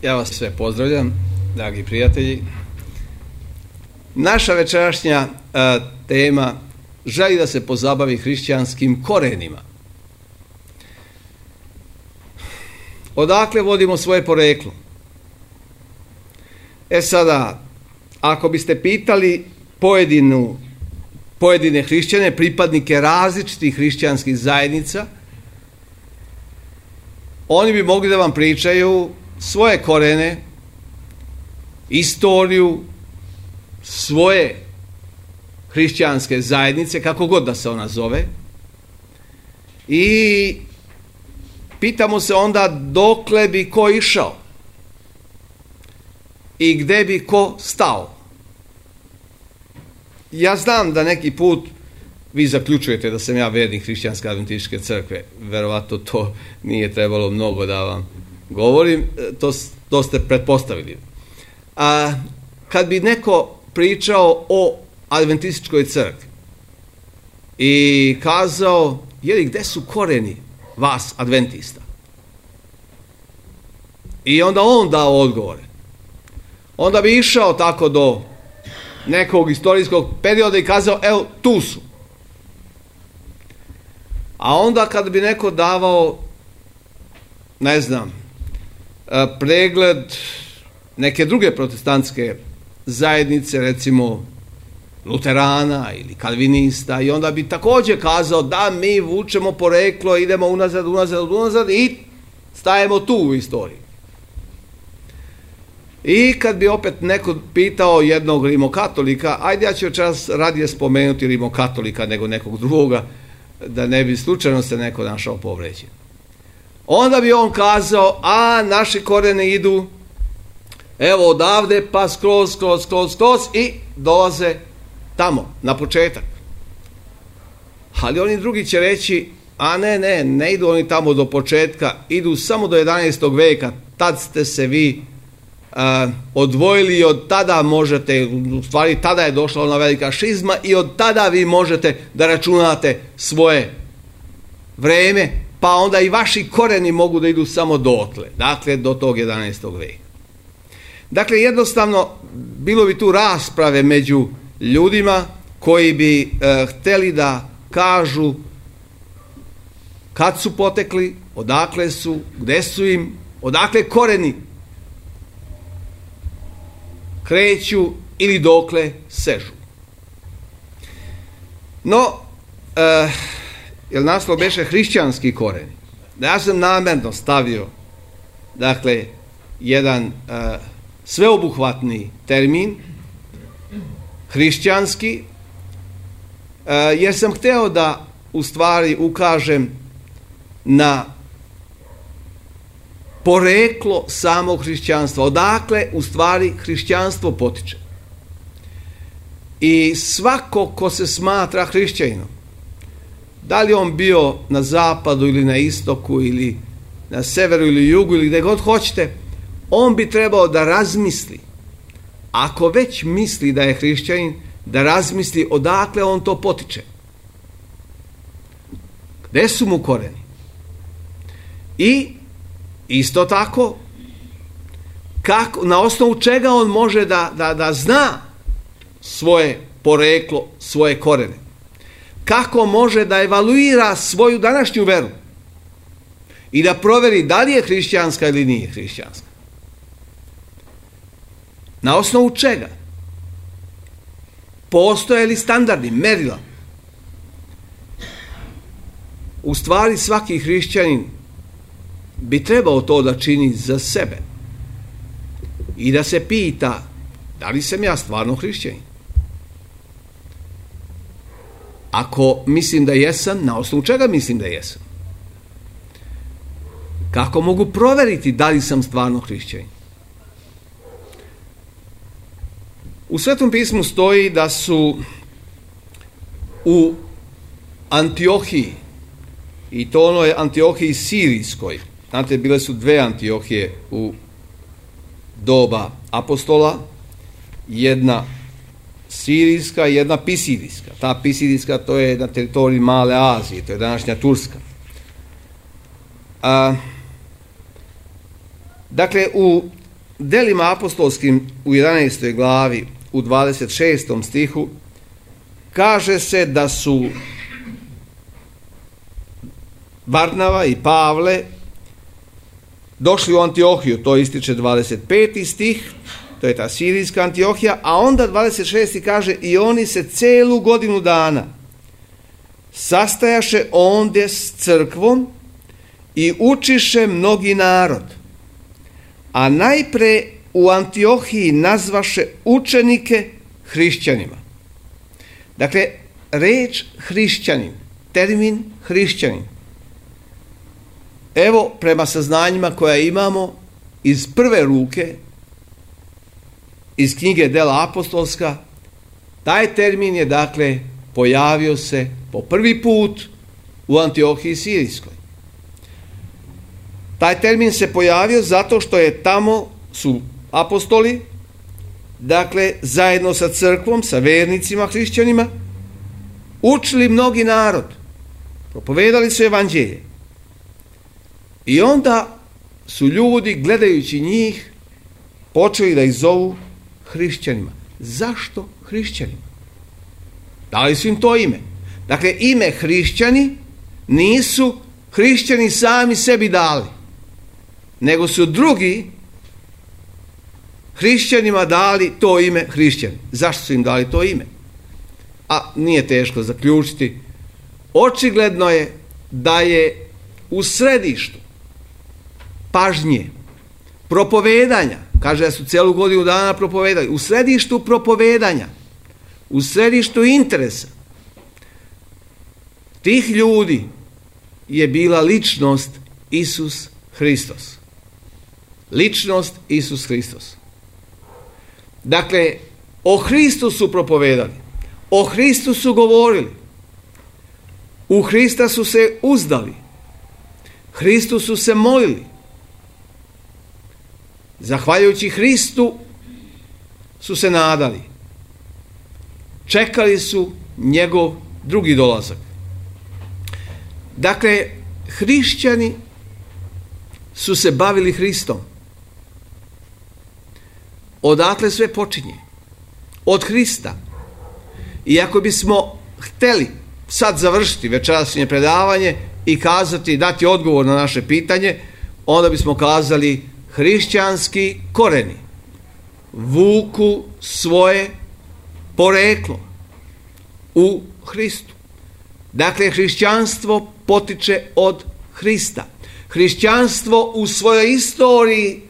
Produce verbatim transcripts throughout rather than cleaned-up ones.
Ja vas sve pozdravljam, dragi prijatelji. Naša večerašnja a, tema želi da se pozabavi hrišćanskim korenima. Odakle vodimo svoje poreklo? E sada, ako biste pitali pojedinu, pojedine hrišćane, pripadnike različitih hrišćanskih zajednica, oni bi mogli da vam pričaju svoje korene, istoriju svoje hrišćanske zajednice, kako god da se ona zove, i pitamo se onda dokle bi ko išao i gde bi ko stao. Ja znam da neki put vi zaključujete da sam ja vernik hrišćanske adventističke crkve. Verovatno to nije trebalo mnogo da vam govorim, to, to ste pretpostavili. A kad bi neko pričao o adventističkoj crkvi i kazao, jeli, gde su koreni vas adventista? I onda on dao odgovore. Onda bi išao tako do nekog istorijskog perioda i kazao, evo, tu su. A onda kad bi neko davao, ne znam, pregled neke druge protestantske zajednice, recimo luterana ili kalvinista, i onda bi također kazao da mi vučemo poreklo, idemo unazad, unazad, unazad i stajemo tu u istoriji. I kad bi opet neko pitao jednog rimokatolika, ajde ja ću večeras radije spomenuti rimokatolika nego nekog drugoga, da ne bi slučajno se neko našao povređen. Onda bi on kazao, a naši koreni idu evo odavde pa skroz, skroz, skroz, skroz i dolaze tamo, na početak. Ali oni drugi će reći, a ne, ne, ne idu oni tamo do početka, idu samo do jedanaestog veka, tad ste se vi uh, odvojili i od tada možete, u stvari tada je došla ona velika šizma i od tada vi možete da računate svoje vreme, pa onda i vaši koreni mogu da idu samo dotle, dakle do tog jedanaestog veka. Dakle, jednostavno, bilo bi tu rasprave među ljudima koji bi e, hteli da kažu kad su potekli, odakle su, gde su im, odakle koreni kreću ili dokle sežu. No, e, jer naslov beše hrišćanski koreni. Da ja sam namerno stavio, dakle, jedan e, sveobuhvatni termin, hrišćanski, e, jer sam hteo da u stvari ukažem na poreklo samog hrišćanstva, odakle u stvari hrišćanstvo potiče. I svako ko se smatra hrišćaninom, da li on bio na zapadu ili na istoku ili na severu ili jugu ili gde god hoćete, on bi trebao da razmisli, ako već misli da je hrišćanin, da razmisli odakle on to potiče. Gde su mu koreni? I isto tako, kako, na osnovu čega on može da, da, da zna svoje poreklo, svoje korene. Kako može da evaluira svoju današnju veru i da proveri da li je hrišćanska ili nije hrišćanska. Na osnovu čega? Postoje li standardi, merila? U stvari svaki hrišćanin bi trebao to da čini za sebe i da se pita da li sam ja stvarno hrišćanin. Ako mislim da jesam, na osnovu čega mislim da jesam? Kako mogu proveriti da li sam stvarno hrišćanin? U Svetom pismu stoji da su u Antiohiji, i to onoj Antiohiji sirijskoj, znate, bile su dve Antiohije u doba apostola, jedna sirijska i jedna pisirijska. Ta pisirijska, to je na teritoriji Male Azije, to je današnja Turska. A, dakle, u Delima apostolskim u jedanaestoj glavi u dvadeset šestom stihu kaže se da su Barnava i Pavle došli u Antiohiju, to ističe dvadeset peti stih, to je ta sirijska Antiohija, a onda dvadeset šesti kaže i oni se celu godinu dana sastajaše ondje s crkvom i učiše mnogi narod. A najpre u Antiohiji nazvaše učenike hrišćanima. Dakle, reč hrišćanin, termin hrišćanin, evo prema saznanjima koja imamo iz prve ruke, iz knjige Dela apostolska, taj termin je dakle pojavio se po prvi put u Antiohiji sirijskoj. Taj termin se pojavio zato što je tamo su apostoli, dakle zajedno sa crkvom, sa vernicima, hrišćanima, učili mnogi narod, propovedali su evanđelje. I onda su ljudi, gledajući njih, počeli da ih zovu hrišćanima. Zašto hrišćanima? Dali su im to ime. Dakle, ime hrišćani nisu hrišćani sami sebi dali, nego su drugi hrišćanima dali to ime hrišćani. Zašto su im dali to ime? A nije teško zaključiti. Očigledno je da je u središtu pažnje, propovedanja, kaže da su celu godinu dana propovedali, u središtu propovedanja, u središtu interesa tih ljudi je bila ličnost Isus Hristos. Ličnost Isus Hristos. Dakle, o Hristusu propovedali, o Hristusu govorili, u Hrista su se uzdali, Hristu su se molili, zahvaljujući Hristu su se nadali, čekali su njegov drugi dolazak. Dakle, hrišćani su se bavili Hristom. Odatle sve počinje. Od Hrista. I ako bismo hteli sad završiti večerašnje predavanje i kazati, dati odgovor na naše pitanje, onda bismo kazali hrišćanski koreni vuku svoje poreklo u Hristu. Dakle, hrišćanstvo potiče od Hrista. Hrišćanstvo u svojoj istoriji,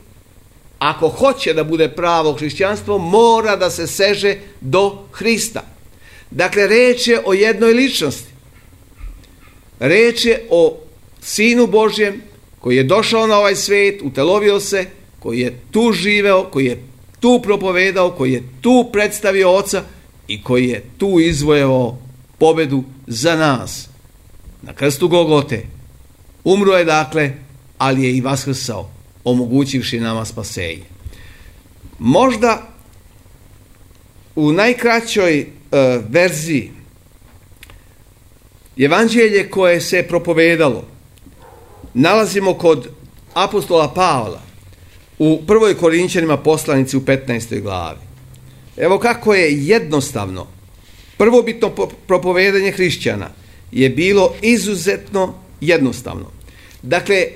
ako hoće da bude pravo hrišćanstvo, mora da se seže do Hrista. Dakle, reč je o jednoj ličnosti. Reč je o Sinu Božjem koji je došao na ovaj svijet, utelovio se, koji je tu živeo, koji je tu propovedao, koji je tu predstavio Oca i koji je tu izvojevao pobedu za nas. Na krstu Golgote umro je dakle, ali je i vaskrsao, omogućivši nama spasenje. Možda u najkraćoj e, verziji evanđelje koje se propovedalo nalazimo kod apostola Pavla u prvoj Korinćanima poslanici u petnaestoj glavi. Evo kako je jednostavno prvobitno propovedanje hrišćana je bilo izuzetno jednostavno. Dakle,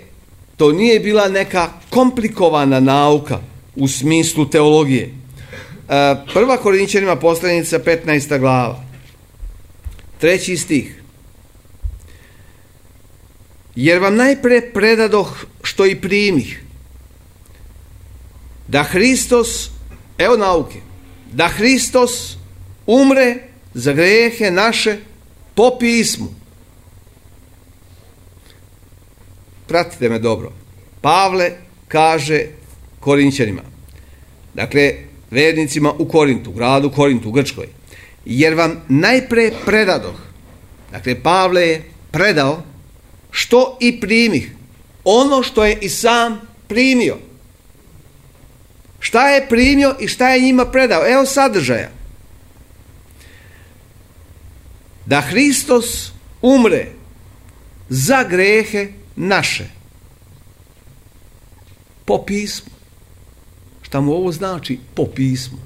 to nije bila neka komplikovana nauka u smislu teologije. Prva Korinćanima poslanica petnaesta glava, treći stih. Jer vam najpre predadoh što i primih, da Hristos, evo nauke, da Hristos umre za grehe naše po pismu. Pratite me dobro. Pavle kaže Korinćanima, dakle vernicima u Korintu, gradu Korintu, u Grčkoj, jer vam najpre predadoh, dakle Pavle je predao što i primih, ono što je i sam primio. Šta je primio i šta je njima predao? Evo sadržaja. Da Hristos umre za grehe naše po pismu. Šta mu ovo znači? Po pismu.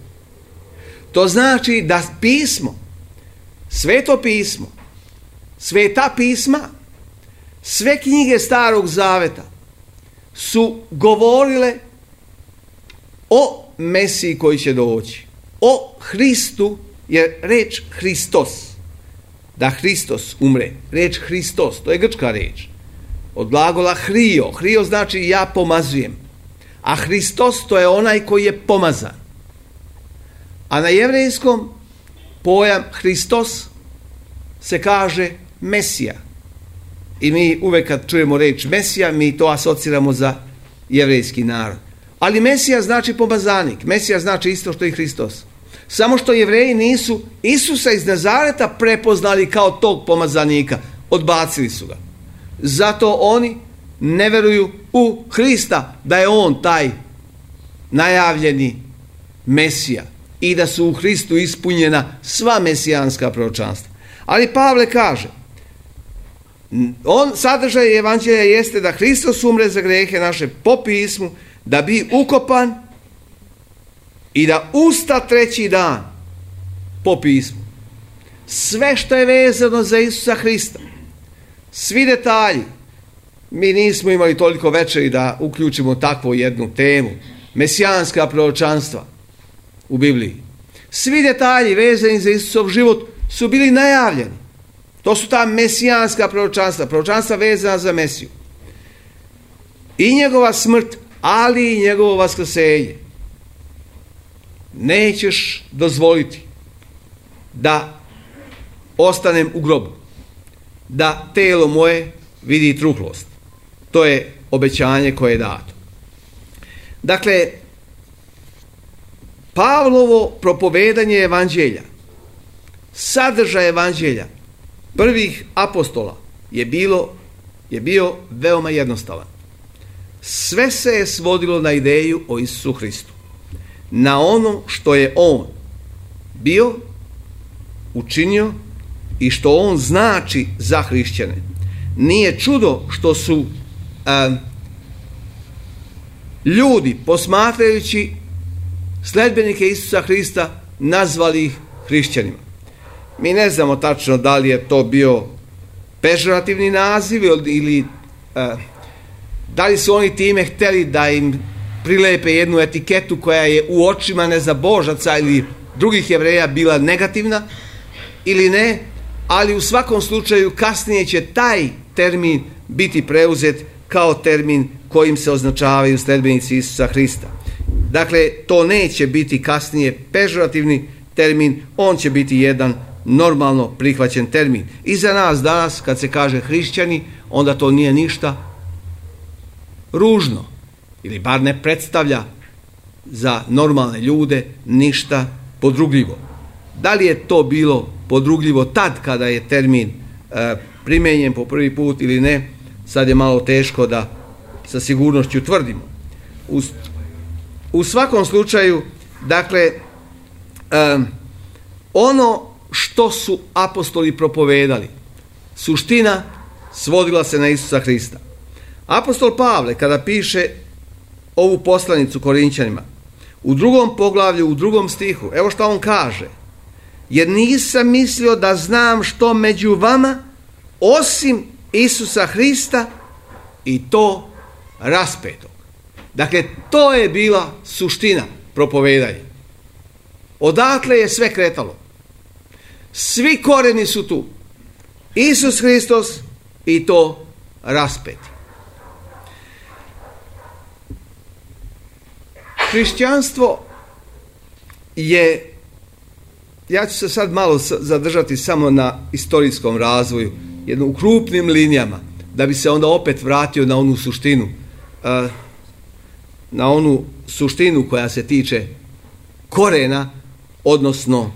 To znači da pismo, sveto pismo, sveta pisma, sve knjige Starog Zaveta su govorile o Mesiji koji će doći, o Hristu, jer reč Hristos, da Hristos umre, reč Hristos, to je grčka reč, od glagola hrio, hrio znači ja pomazujem, a Hristos to je onaj koji je pomazan. A na jevrejskom pojam Hristos se kaže Mesija. I mi uvek kad čujemo reč Mesija, mi to asociramo za jevrejski narod. Ali Mesija znači pomazanik. Mesija znači isto što i Hristos. Samo što Jevreji nisu Isusa iz Nazareta prepoznali kao tog pomazanika. Odbacili su ga. Zato oni ne veruju u Hrista, da je on taj najavljeni Mesija i da su u Hristu ispunjena sva mesijanska proročanstva. Ali Pavle kaže, on sadržaj evanđelja jeste da Hristos umre za grehe naše po pismu, da bi ukopan i da usta treći dan po pismu. Sve što je vezano za Isusa Hrista, svi detalji, mi nismo imali toliko večeri da uključimo takvu jednu temu, mesijanska proročanstva u Bibliji. Svi detalji vezani za Isusov život su bili najavljeni. To su ta mesijanska proročanstva, proročanstva vezana za Mesiju. I njegova smrt, ali i njegovo vaskrsenje. Nećeš dozvoliti da ostanem u grobu, da telo moje vidi truhlost. To je obećanje koje je dato. Dakle, Pavlovo propovedanje evanđelja, sadržaj evanđelja prvih apostola je bilo je bio veoma jednostavan. Sve se je svodilo na ideju o Isusu Hristu, na ono što je on bio, učinio i što on znači za hrišćane. Nije čudo što su a, ljudi, posmatrajući sledbenike Isusa Hrista, nazvali ih hrišćanima. Mi ne znamo tačno da li je to bio pežorativni naziv ili a, da li su oni time hteli da im prilepe jednu etiketu koja je u očima nezabožaca ili drugih Jevreja bila negativna ili ne, ali u svakom slučaju kasnije će taj termin biti preuzet kao termin kojim se označavaju sledbenici Isusa Hrista. Dakle, to neće biti kasnije pežorativni termin, on će biti jedan normalno prihvaćen termin. I za nas danas, kad se kaže hrišćani, onda to nije ništa ružno, ili bar ne predstavlja za normalne ljude ništa podrugljivo. Da li je to bilo podrugljivo tad kada je termin e, primenjen po prvi put ili ne, sad je malo teško da sa sigurnošću tvrdimo. U, u svakom slučaju, dakle, e, ono što su apostoli propovedali, suština svodila se na Isusa Hrista. Apostol Pavle, kada piše ovu poslanicu Korinćanima, u drugom poglavlju, u drugom stihu, evo što on kaže: jer nisam mislio da znam što među vama osim Isusa Hrista i to raspetog. Dakle, to je bila suština propovedanja. Odatle je sve kretalo. Svi koreni su tu. Isus Hristos i to raspeti. Hrišćanstvo je, ja ću se sad malo zadržati samo na istorijskom razvoju, jedno u krupnim linijama, da bi se onda opet vratio na onu suštinu, na onu suštinu koja se tiče korena, odnosno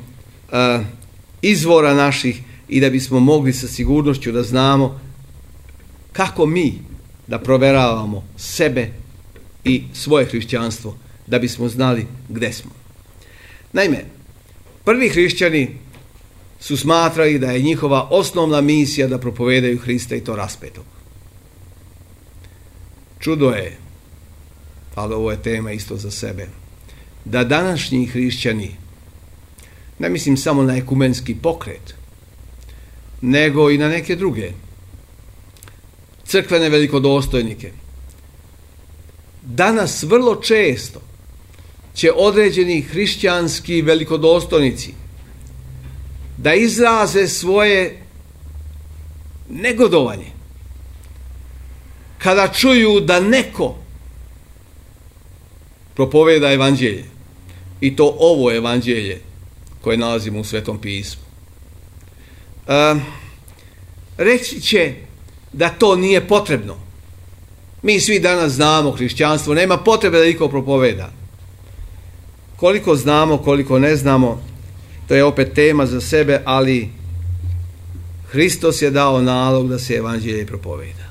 izvora naših, i da bismo mogli sa sigurnošću da znamo kako mi da proveravamo sebe i svoje hrišćanstvo, da bismo znali gde smo. Naime, prvi hrišćani su smatrali da je njihova osnovna misija da propovedaju Hrista i to raspetog. Čudo je, ali ovo je tema isto za sebe, da današnji hrišćani, ne mislim samo na ekumenski pokret, nego i na neke druge crkvene velikodostojnike, danas vrlo često će određeni hrišćanski velikodostojnici da izraze svoje negodovanje kada čuju da neko propoveda evanđelje, i to ovo evanđelje koje nalazimo u Svetom pismu. E, reći će da to nije potrebno. Mi svi danas znamo hrišćanstvo, nema potrebe da niko propoveda. Koliko znamo, koliko ne znamo, to je opet tema za sebe, ali Hristos je dao nalog da se evanđelje propoveda.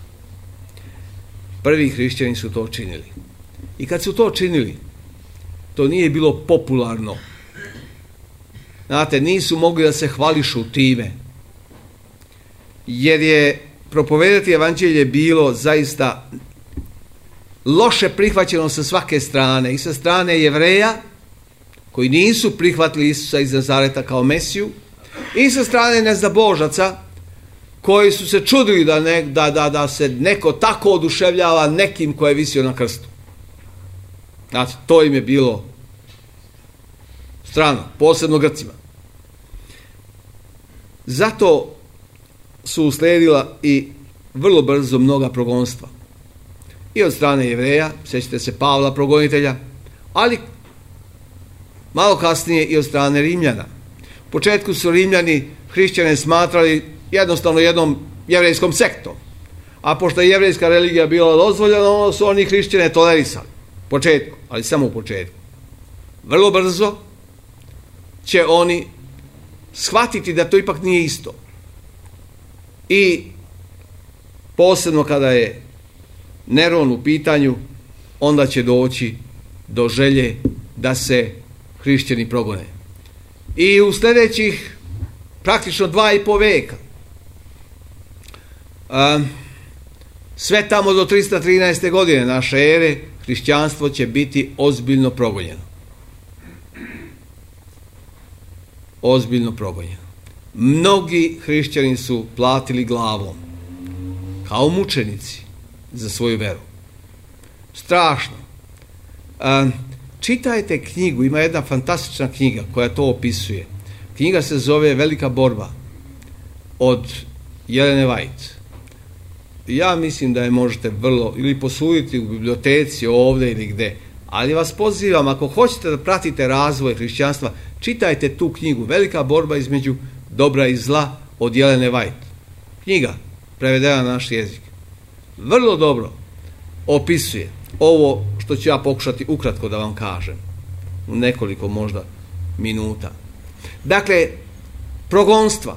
Prvi hrišćani su to činili. I kad su to činili, to nije bilo popularno. Znate, nisu mogli da se hvališu time, jer je propovedati evanđelje bilo zaista loše prihvaćeno sa svake strane, i sa strane Jevreja koji nisu prihvatili Isusa iz Nazareta kao Mesiju, i sa strane neznabožaca koji su se čudili da, ne, da, da, da se neko tako oduševljava nekim ko je visio na krstu. Znate, to im je bilo strano, posebno Grcima. Zato su uslijedila i vrlo brzo mnoga progonstva. I od strane Jevreja, sjećate se Pavla progonitelja, ali malo kasnije i od strane Rimljana. U početku su Rimljani hrišćane smatrali jednostavno jednom jevrejskom sektom, a pošto je jevrejska religija bila dozvoljena, ono su oni hrišćane tolerisali. U početku, ali samo u početku. Vrlo brzo će oni shvatiti da to ipak nije isto. I posebno kada je Neron u pitanju, onda će doći do želje da se hrišćani progone. I u sljedećih praktično dva i po veka, a, sve tamo do tristo trinaeste. godine naše ere, hrišćanstvo će biti ozbiljno progonjeno. Ozbiljno progonjeno. Mnogi hrišćani su platili glavom, kao mučenici, za svoju veru. Strašno. A, čitajte knjigu, ima jedna fantastična knjiga koja to opisuje. Knjiga se zove Velika borba od Jelene White. Ja mislim da je možete vrlo ili posuditi u biblioteci ovdje ili gde, ali vas pozivam, ako hoćete da pratite razvoj hrišćanstva, čitajte tu knjigu Velika borba između dobra i zla od Jelene White. Knjiga prevedena na naš jezik. Vrlo dobro opisuje ovo što ću ja pokušati ukratko da vam kažem u nekoliko možda minuta. Dakle, progonstva.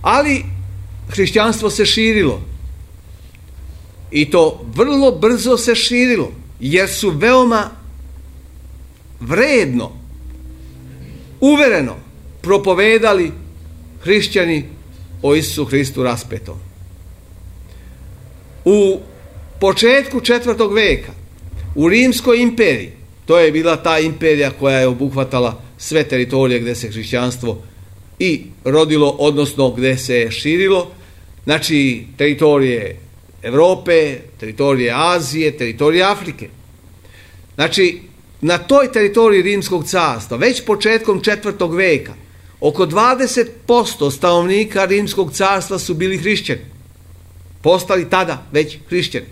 Ali hrišćanstvo se širilo. I to vrlo brzo se širilo, jer su veoma vredno, uvereno propovedali hrišćani o Isusu Hristu raspetom. U početku četvrtog veka u Rimskoj imperiji, to je bila ta imperija koja je obuhvatala sve teritorije gdje se hrišćanstvo i rodilo, odnosno gdje se je širilo, znači teritorije Europe, teritorije Azije, teritorije Afrike. Znači, na toj teritoriji Rimskog carstva, već početkom četvrtog veka, oko dvadeset posto stanovnika Rimskog carstva su bili hrišćani. Postali tada već hrišćani.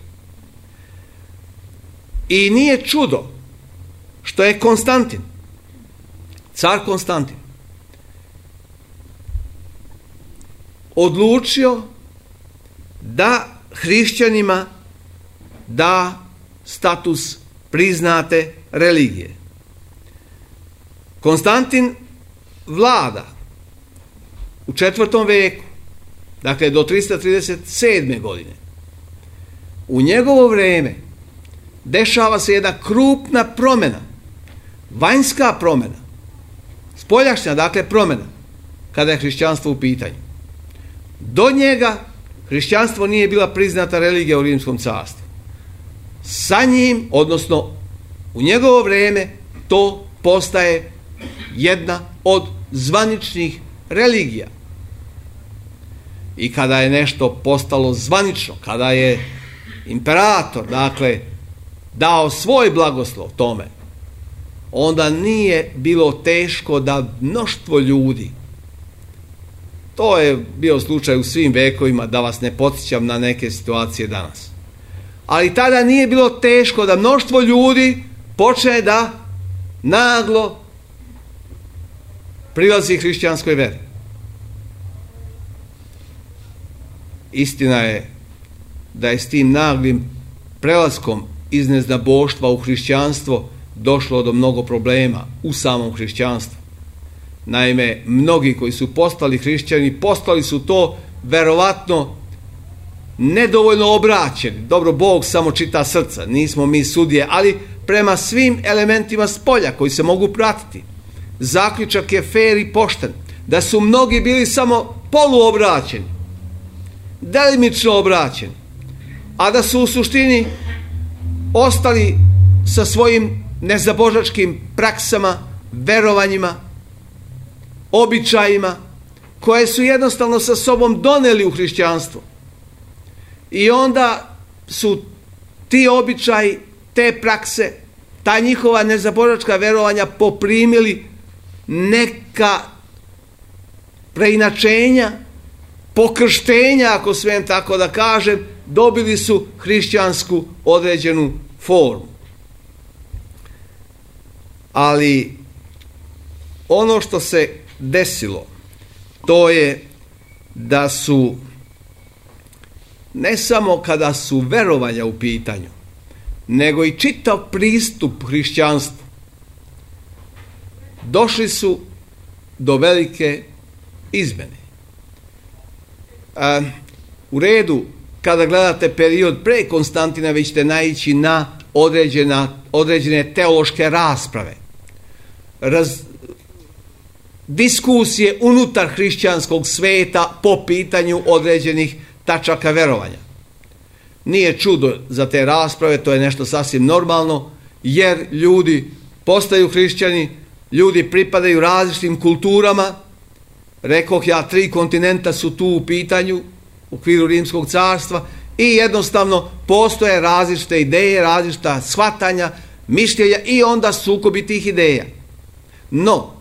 I nije čudo što je Konstantin, car Konstantin, odlučio da hrišćanima da status priznate religije. Konstantin vlada u četvrtom veku, dakle do tristo trideset sedme. godine. U njegovo vrijeme dešava se jedna krupna promjena, vanjska promjena, spoljašnja, dakle promjena, kada je hrišćanstvo u pitanju. Do njega hrišćanstvo nije bila priznata religija u Rimskom carstvu. Sa njim, odnosno U njegovo vrijeme to postaje jedna od zvaničnih religija. I kada je nešto postalo zvanično, kada je imperator, dakle, dao svoj blagoslov tome, onda nije bilo teško da mnoštvo ljudi, to je bio slučaj u svim vekovima, da vas ne podsjećam na neke situacije danas, ali tada nije bilo teško da mnoštvo ljudi počne da naglo prilazi hrišćanskoj veri. Istina je da je s tim naglim prelaskom iz neznaboštva u hrišćanstvo došlo do mnogo problema u samom hrišćanstvu. Naime, mnogi koji su postali hrišćani, postali su to verovatno nedovoljno obraćeni. Dobro, Bog samo čita srca, nismo mi sudije, ali prema svim elementima spolja koji se mogu pratiti, zaključak je fer i pošten, da su mnogi bili samo poluobraćeni, delimično obraćeni, a da su u suštini ostali sa svojim nezabožačkim praksama, verovanjima, običajima, koje su jednostavno sa sobom doneli u hrišćanstvo. I onda su ti običaji, te prakse, ta njihova nezabožačka verovanja poprimili neka preinačenja, pokrštenja, ako smijem tako da kažem, dobili su hrišćansku određenu formu. Ali ono što se desilo, to je da su, ne samo kada su verovanja u pitanju, nego i čitav pristup hrišćanstvu, došli su do velike izmene. A, u redu, kada gledate period pre Konstantina, vi ćete naići na određena, određene teološke rasprave, raz, diskusije unutar hrišćanskog sveta po pitanju određenih tačaka verovanja. Nije čudo za te rasprave, to je nešto sasvim normalno, jer ljudi postaju hrišćani, ljudi pripadaju različitim kulturama. Rekoh ja, tri kontinenta su tu u pitanju u okviru Rimskog carstva i jednostavno postoje različite ideje, različita shvatanja, mišljenja i onda sukobi tih ideja. No,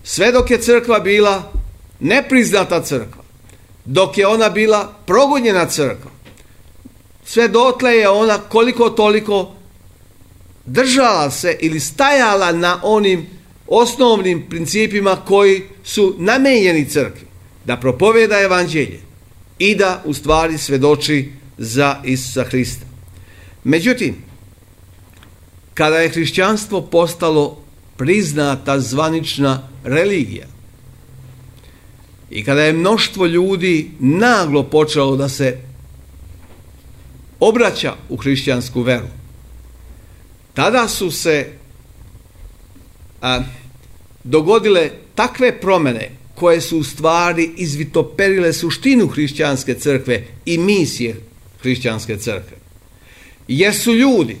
sve dok je crkva bila nepriznata crkva, dok je ona bila progonjena crkva, sve dotle je ona koliko toliko držala se ili stajala na onim osnovnim principima koji su namenjeni crkvi, da propoveda evanđelje i da u stvari svedoči za Isusa Hrista. Međutim, kada je hrišćanstvo postalo priznata zvanična religija i kada je mnoštvo ljudi naglo počelo da se obraća u hrišćansku veru, tada su se a, dogodile takve promjene koje su u stvari izvitoperile suštinu hrišćanske crkve i misije hrišćanske crkve. Jer su ljudi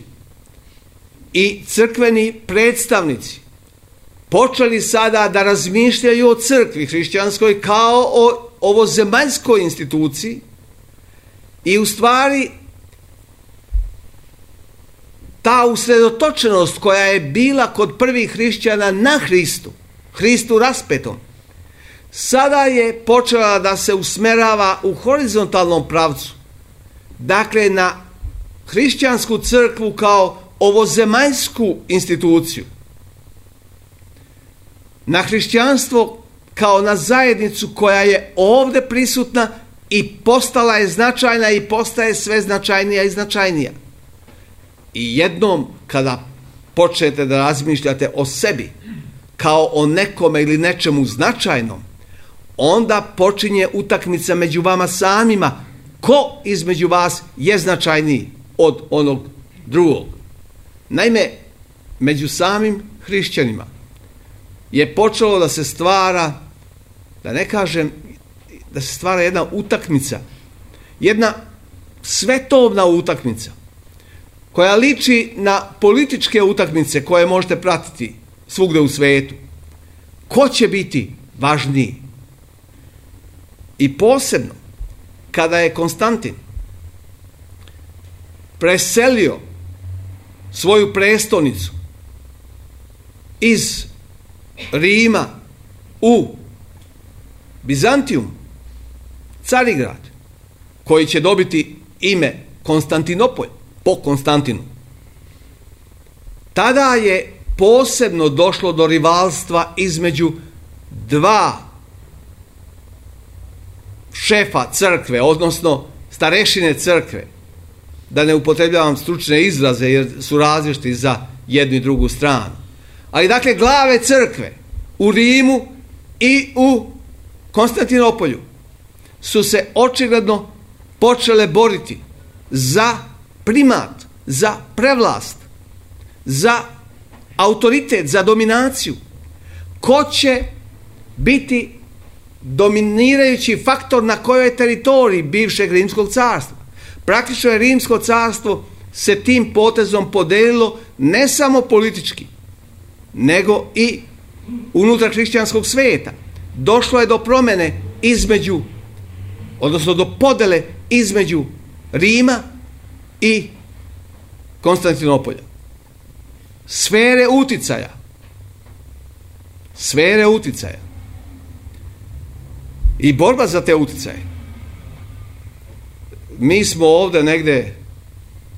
i crkveni predstavnici počeli sada da razmišljaju o crkvi hrišćanskoj kao o ovozemaljskoj instituciji i u stvari ta usredotočenost koja je bila kod prvih hrišćana na Hristu, Hristu raspetom, sada je počela da se usmerava u horizontalnom pravcu, dakle na hrišćansku crkvu kao ovozemaljsku instituciju, na hrišćanstvo kao na zajednicu koja je ovdje prisutna i postala je značajna i postaje sve značajnija i značajnija. I jednom kada počnete da razmišljate o sebi kao o nekome ili nečemu značajnom, onda počinje utakmica među vama samima, ko između vas je značajniji od onog drugog. Naime, među samim hrišćanima je počelo da se stvara, da ne kažem, da se stvara jedna utakmica, jedna svetovna utakmica, koja liči na političke utakmice koje možete pratiti svugde u svetu. Ko će biti važniji? I posebno kada je Konstantin preselio svoju prestonicu iz Rima u Bizantijum, Carigrad, koji će dobiti ime Konstantinopolj po Konstantinu. Tada je posebno došlo do rivalstva između dva šefa crkve, odnosno starešine crkve, da ne upotrebljavam stručne izraze jer su različiti za jednu i drugu stranu. Ali dakle, glave crkve u Rimu i u Konstantinopolju su se očigledno počele boriti za primat, za prevlast, za autoritet, za dominaciju. Ko će biti dominirajući faktor na kojoj teritoriji bivšeg Rimskog carstva? Praktično je Rimsko carstvo se tim potezom podelilo ne samo politički, nego i unutar hrišćanskog sveta. Došlo je do promjene između, odnosno do podele između Rima i Konstantinopolja. Sfere uticaja. Sfere uticaja. I borba za te uticaje. Mi smo ovdje negde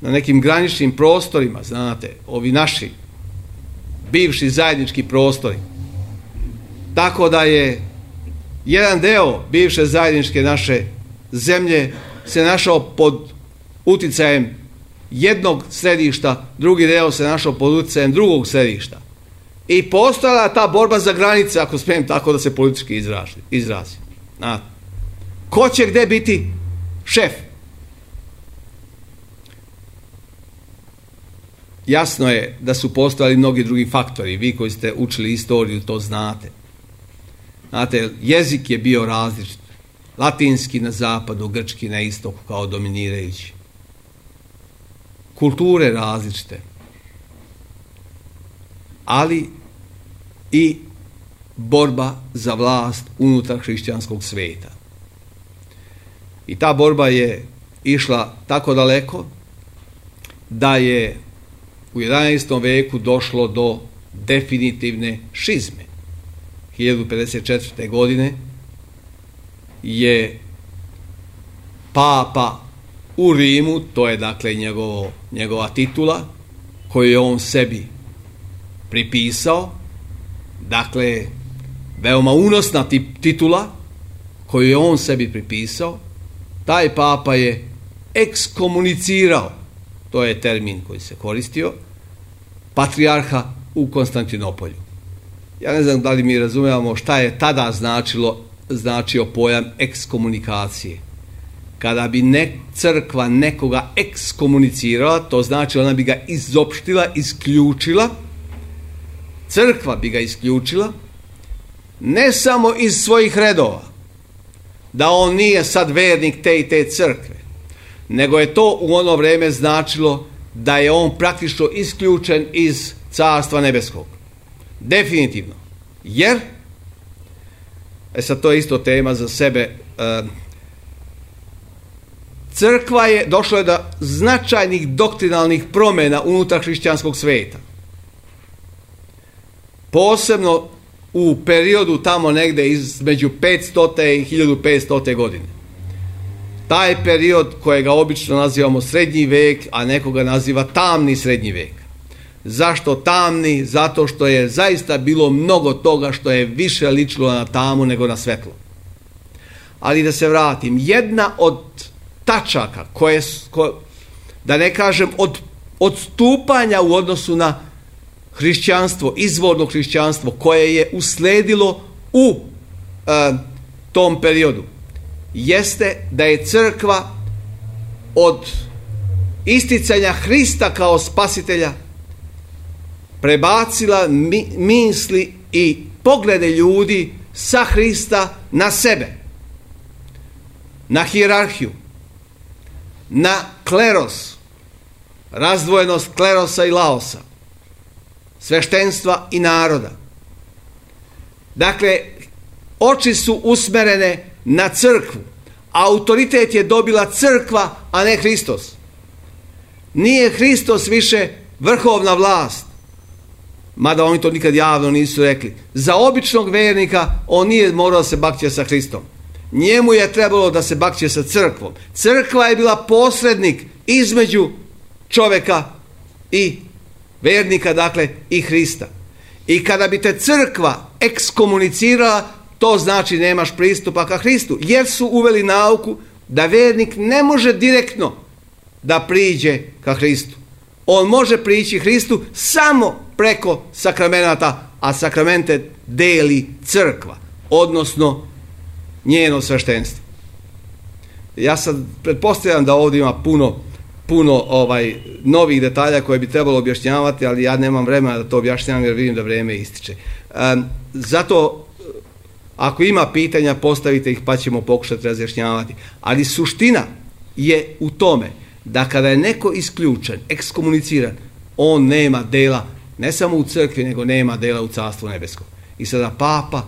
na nekim graničnim prostorima, znate, ovi naši bivši zajednički prostori. Tako da je jedan deo bivše zajedničke naše zemlje se našao pod uticajem jednog središta, drugi deo se našao pod uticajem drugog središta. I postojala ta borba za granice, ako smijem tako da se politički izrazi. Znate, ko će gde biti šef? Jasno je da su postojali mnogi drugi faktori. Vi koji ste učili istoriju to znate. Znate, jezik je bio različit. Latinski na zapadu, grčki na istoku kao dominirajući. Kulture različite. Ali i borba za vlast unutar hrišćanskog sveta. I ta borba je išla tako daleko da je u jedanaestom veku došlo do definitivne šizme. hiljadu pedeset četvrte. godine je papa u Rimu, to je dakle njegovo, njegova titula koju je on sebi pripisao, dakle veoma unosna titula koju je on sebi pripisao, taj papa je ekskomunicirao, to je termin koji se koristio, patrijarha u Konstantinopolju. Ja ne znam da li mi razumijemo šta je tada značilo, značio pojam ekskomunikacije. Kada bi ne, crkva nekoga ekskomunicirala, to znači ona bi ga izopštila, isključila, crkva bi ga isključila, ne samo iz svojih redova, da on nije sad vernik te i te crkve, nego je to u ono vreme značilo da je on praktično isključen iz Carstva nebeskog. Definitivno. Jer, e sad to je isto tema za sebe, e, crkva je, došlo je do značajnih doktrinalnih promjena unutar hrišćanskog sveta. Posebno u periodu tamo negde između petsto i hiljadu petsto. godine. Taj period kojega obično nazivamo srednji vek, a nekoga naziva tamni srednji vek. Zašto tamni? Zato što je zaista bilo mnogo toga što je više ličilo na tamu nego na svetlo. Ali da se vratim, jedna od tačaka koje, ko, da ne kažem od odstupanja u odnosu na hrišćanstvo, izvorno hrišćanstvo koje je usledilo u e, tom periodu, jeste da je crkva od isticanja Hrista kao spasitelja prebacila mi, misli i poglede ljudi sa Hrista na sebe, na hijerarhiju, na kleros, razdvojenost klerosa i laosa, sveštenstva i naroda. Dakle, oči su usmerene na crkvu. Autoritet je dobila crkva, a ne Hristos. Nije Hristos više vrhovna vlast, mada oni to nikad javno nisu rekli. Za običnog vernika on nije morao da se bakće sa Hristom. Njemu je trebalo da se bakće sa crkvom. Crkva je bila posrednik između čoveka i vernika, dakle i Hrista. I kada bi te crkva ekskomunicirala, to znači nemaš pristupa ka Hristu, jer su uveli nauku da vernik ne može direktno da priđe ka Hristu. On može prići Hristu samo preko sakramenata, a sakramente deli crkva, odnosno njeno sveštenstvo. Ja sad pretpostavljam da ovdje ima puno, puno ovaj, novih detalja koje bi trebalo objašnjavati, ali ja nemam vremena da to objašnjavam jer vidim da vrijeme ističe. Um, zato ako ima pitanja, postavite ih pa ćemo pokušati razjašnjavati. Ali suština je u tome da kada je neko isključen, ekskomuniciran, on nema dela ne samo u crkvi, nego nema dela u Carstvu nebeskom. I sada Papa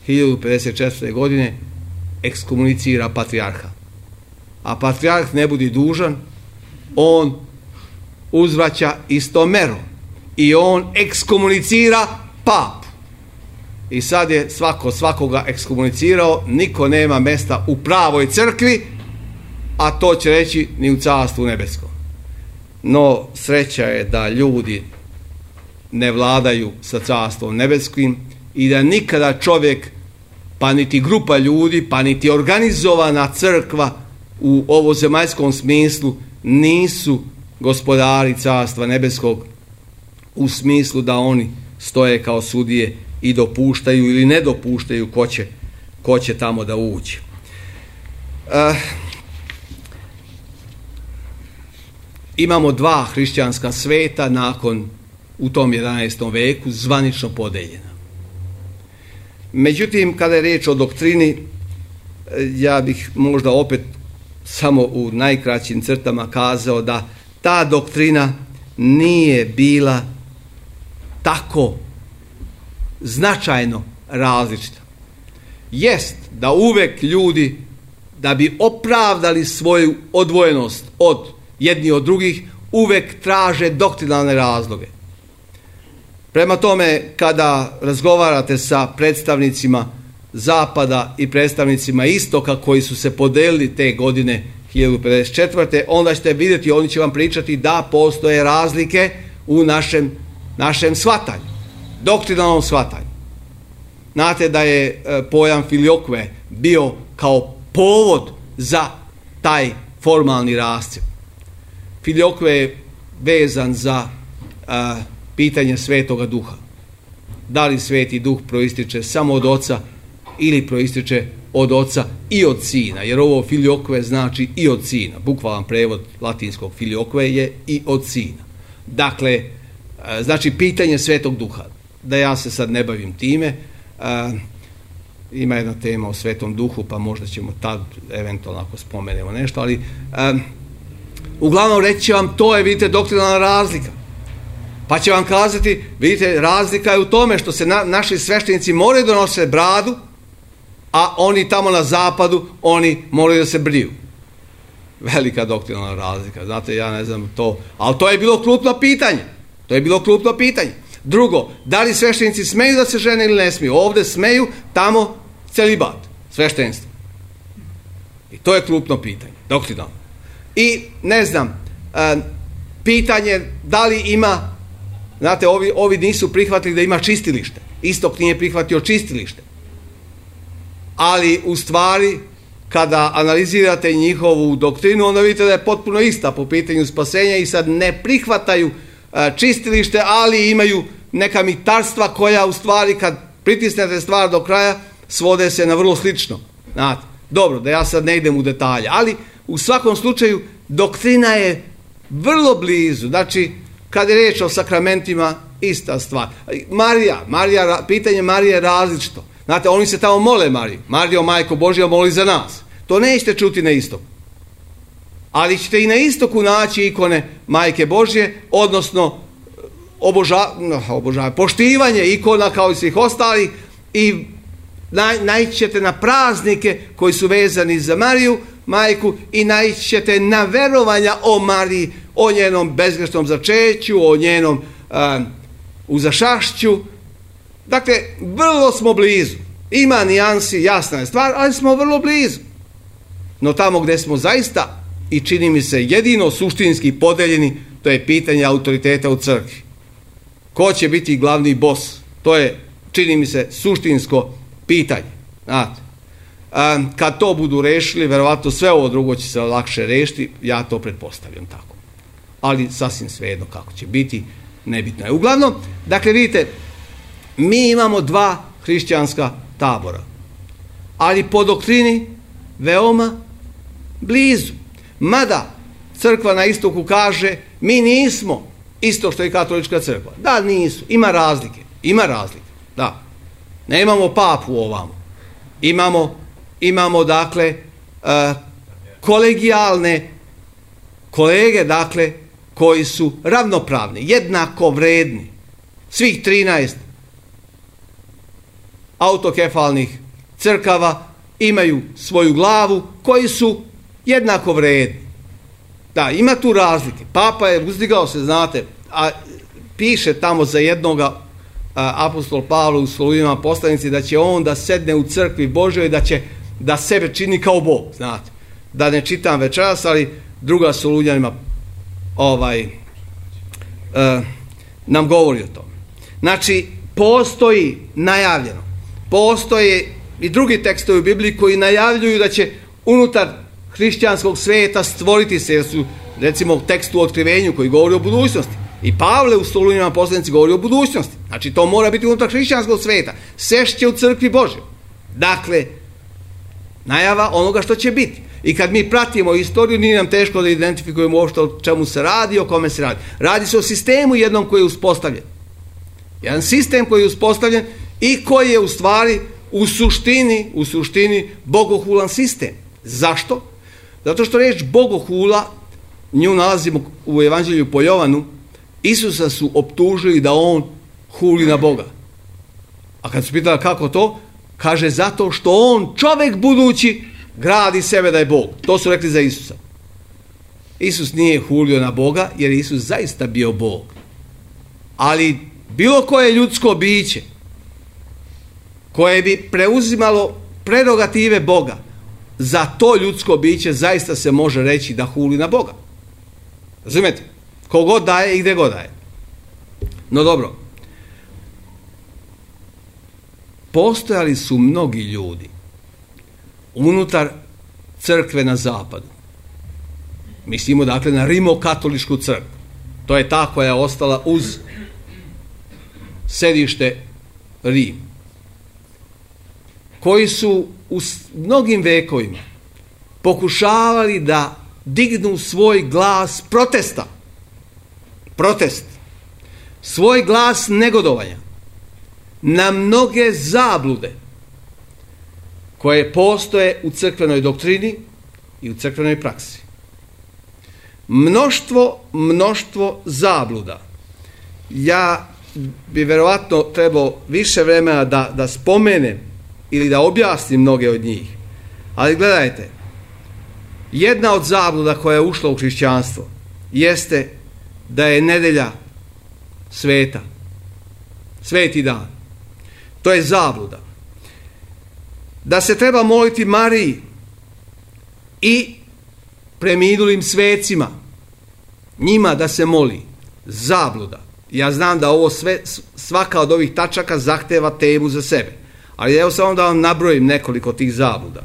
hiljadu pedeset četvrte. godine ekskomunicira patrijarha. A patrijarh ne budi dužan, on uzvraća istom merom. I on ekskomunicira papu. I sad je svako svakoga ekskomunicirao, niko nema mesta u pravoj crkvi, a to će reći ni u Carstvu nebeskom. No, sreća je da ljudi ne vladaju sa Carstvom nebeskim i da nikada čovjek, pa niti grupa ljudi, pa niti organizovana crkva u ovozemaljskom smislu nisu gospodari Carstva nebeskog u smislu da oni stoje kao sudije i dopuštaju ili ne dopuštaju ko će, ko će tamo da uđe. Uh, imamo dva hrišćanska sveta nakon u tom jedanaestom veku zvanično podeljena. Međutim, kada je riječ o doktrini, ja bih možda opet samo u najkraćim crtama kazao da ta doktrina nije bila tako značajno različita. Jest da uvek ljudi, da bi opravdali svoju odvojenost od jedni od drugih, uvek traže doktrinalne razloge. Prema tome, kada razgovarate sa predstavnicima Zapada i predstavnicima Istoka koji su se podelili te godine hiljadu pedeset četvrte. onda ćete vidjeti, oni će vam pričati da postoje razlike u našem, našem shvatanju, doktrinalnom shvatanju. Znate da je pojam filiokve bio kao povod za taj formalni rascjep. Filiokve je vezan za a, pitanje Svetoga Duha. Da li Sveti Duh proističe samo od Oca ili proističe od Oca i od Sina, jer ovo filiokve znači i od Sina. Bukvalan prevod latinskog filiokve je i od Sina. Dakle, znači pitanje Svetog Duha. Da ja se sad ne bavim time, a, ima jedna tema o Svetom Duhu, pa možda ćemo tad eventualno ako spomenemo nešto, ali a, uglavnom reći će vam, to je, vidite, doktrinalna razlika. Pa će vam kazati, vidite, razlika je u tome što se na, naši sveštenici moraju da nose bradu, a oni tamo na zapadu, oni moraju da se briju. Velika doktrinalna razlika, znate, ja ne znam to, ali to je bilo krupno pitanje. To je bilo krupno pitanje. Drugo, da li sveštenici smeju da se žene ili ne smiju? Ovdje smeju, tamo celibat, sveštenstvo. I to je krupno pitanje, doktrinalno. I, ne znam, e, pitanje da li ima, znate, ovi, ovi nisu prihvatili da ima čistilište. Istok nije prihvatio čistilište. Ali, u stvari, kada analizirate njihovu doktrinu, onda vidite da je potpuno ista po pitanju spasenja i sad ne prihvataju e, čistilište, ali imaju neka mitarstva koja, u stvari, kad pritisnete stvar do kraja, svode se na vrlo slično. Znate, dobro, da ja sad ne idem u detalje, ali u svakom slučaju doktrina je vrlo blizu. Znači, kad je riječ o sakramentima, ista stvar. Marija, Marija, pitanje Marije je različito. Znate, oni se tamo mole Mariju. Marijo, Majko Božja, moli za nas. To nećete čuti na istoku. Ali ćete i na istoku naći ikone Majke Božje, odnosno oboža, oboža, poštivanje ikona kao i svih ostalih, i naj, naići ćete na praznike koji su vezani za Mariju, majku, i naići ćete na verovanja o Mariji, o njenom bezgrešnom začeću, o njenom uh, uzašašću. Dakle, vrlo smo blizu. Ima nijansi, jasna je stvar, ali smo vrlo blizu. No tamo gdje smo zaista, i čini mi se jedino suštinski podeljeni, to je pitanje autoriteta u crkvi. Ko će biti glavni bos? To je, čini mi se, suštinsko pitanje. Znate, a, kad to budu rešili, verovatno sve ovo drugo će se lakše rešiti, ja to pretpostavljam tako. Ali sasvim svejedno kako će biti, nebitno je. Uglavnom, dakle, vidite, mi imamo dva hrišćanska tabora, ali po doktrini veoma blizu. Mada crkva na istoku kaže, mi nismo isto što je katolička crkva. Da, nisu. Ima razlike. Ima razlike. Da. Nemamo papu ovamo. Imamo, imamo dakle, uh, kolegijalne kolege, dakle, koji su ravnopravni, jednako vredni. Svih trinaest autokefalnih crkava imaju svoju glavu, koji su jednako vredni. Da, ima tu razlike. Papa je uzdigao se, znate, a piše tamo za jednoga a, apostol Pavle u Solunjanima poslanici da će on da sedne u crkvi Božoj i da će da sebe čini kao Bog, znate. Da ne čitam večeras, ali druga Solunjanima ovaj, a, nam govori o tome. Znači, postoji najavljeno, postoje i drugi tekstovi u Bibliji koji najavljuju da će unutar hrišćanskog sveta stvoriti se, jer su, recimo, u tekstu o otkrivenju koji govori o budućnosti. I Pavle u Solunjanima poslanici govori o budućnosti. Znači, to mora biti unutar hrišćanskog sveta. Sešće u crkvi Božoj. Dakle, najava onoga što će biti. I kad mi pratimo istoriju, nije nam teško da identifikujemo uopšte o čemu se radi, o kome se radi. Radi se o sistemu jednom koji je uspostavljen. Jedan sistem koji je uspostavljen i koji je u stvari u suštini, u suštini bogohulan sistem. Zašto? Zato što reč bogohula, nju nalazimo u Evanđelju po Jovanu, Isusa su optužili da on huli na Boga. A kad su pitali kako to, kaže zato što on, čovjek budući, gradi sebe da je Bog. To su rekli za Isusa. Isus nije hulio na Boga, jer je Isus zaista bio Bog. Ali bilo koje ljudsko biće koje bi preuzimalo prerogative Boga, za to ljudsko biće zaista se može reći da huli na Boga. Razumete? Kogod daje i gdje god daje. No dobro. Postojali su mnogi ljudi unutar crkve na zapadu. Mislimo dakle na rimokatoličku crkvu. To je ta koja je ostala uz sedište Rim. Koji su u mnogim vekovima pokušavali da dignu svoj glas protesta. Protest. Svoj glas negodovanja na mnoge zablude koje postoje u crkvenoj doktrini i u crkvenoj praksi. Mnoštvo, mnoštvo zabluda. Ja bi verovatno trebao više vremena da, da spomenem ili da objasnim mnoge od njih. Ali gledajte, jedna od zabluda koja je ušla u hrišćanstvo jeste da je nedelja sveta. Sveti dan. To je zabluda. Da se treba moliti Mariji i preminulim svecima. Njima da se moli. Zabluda. Ja znam da ovo sve, svaka od ovih tačaka zahteva temu za sebe. Ali evo samo da vam nabrojim nekoliko tih zabluda.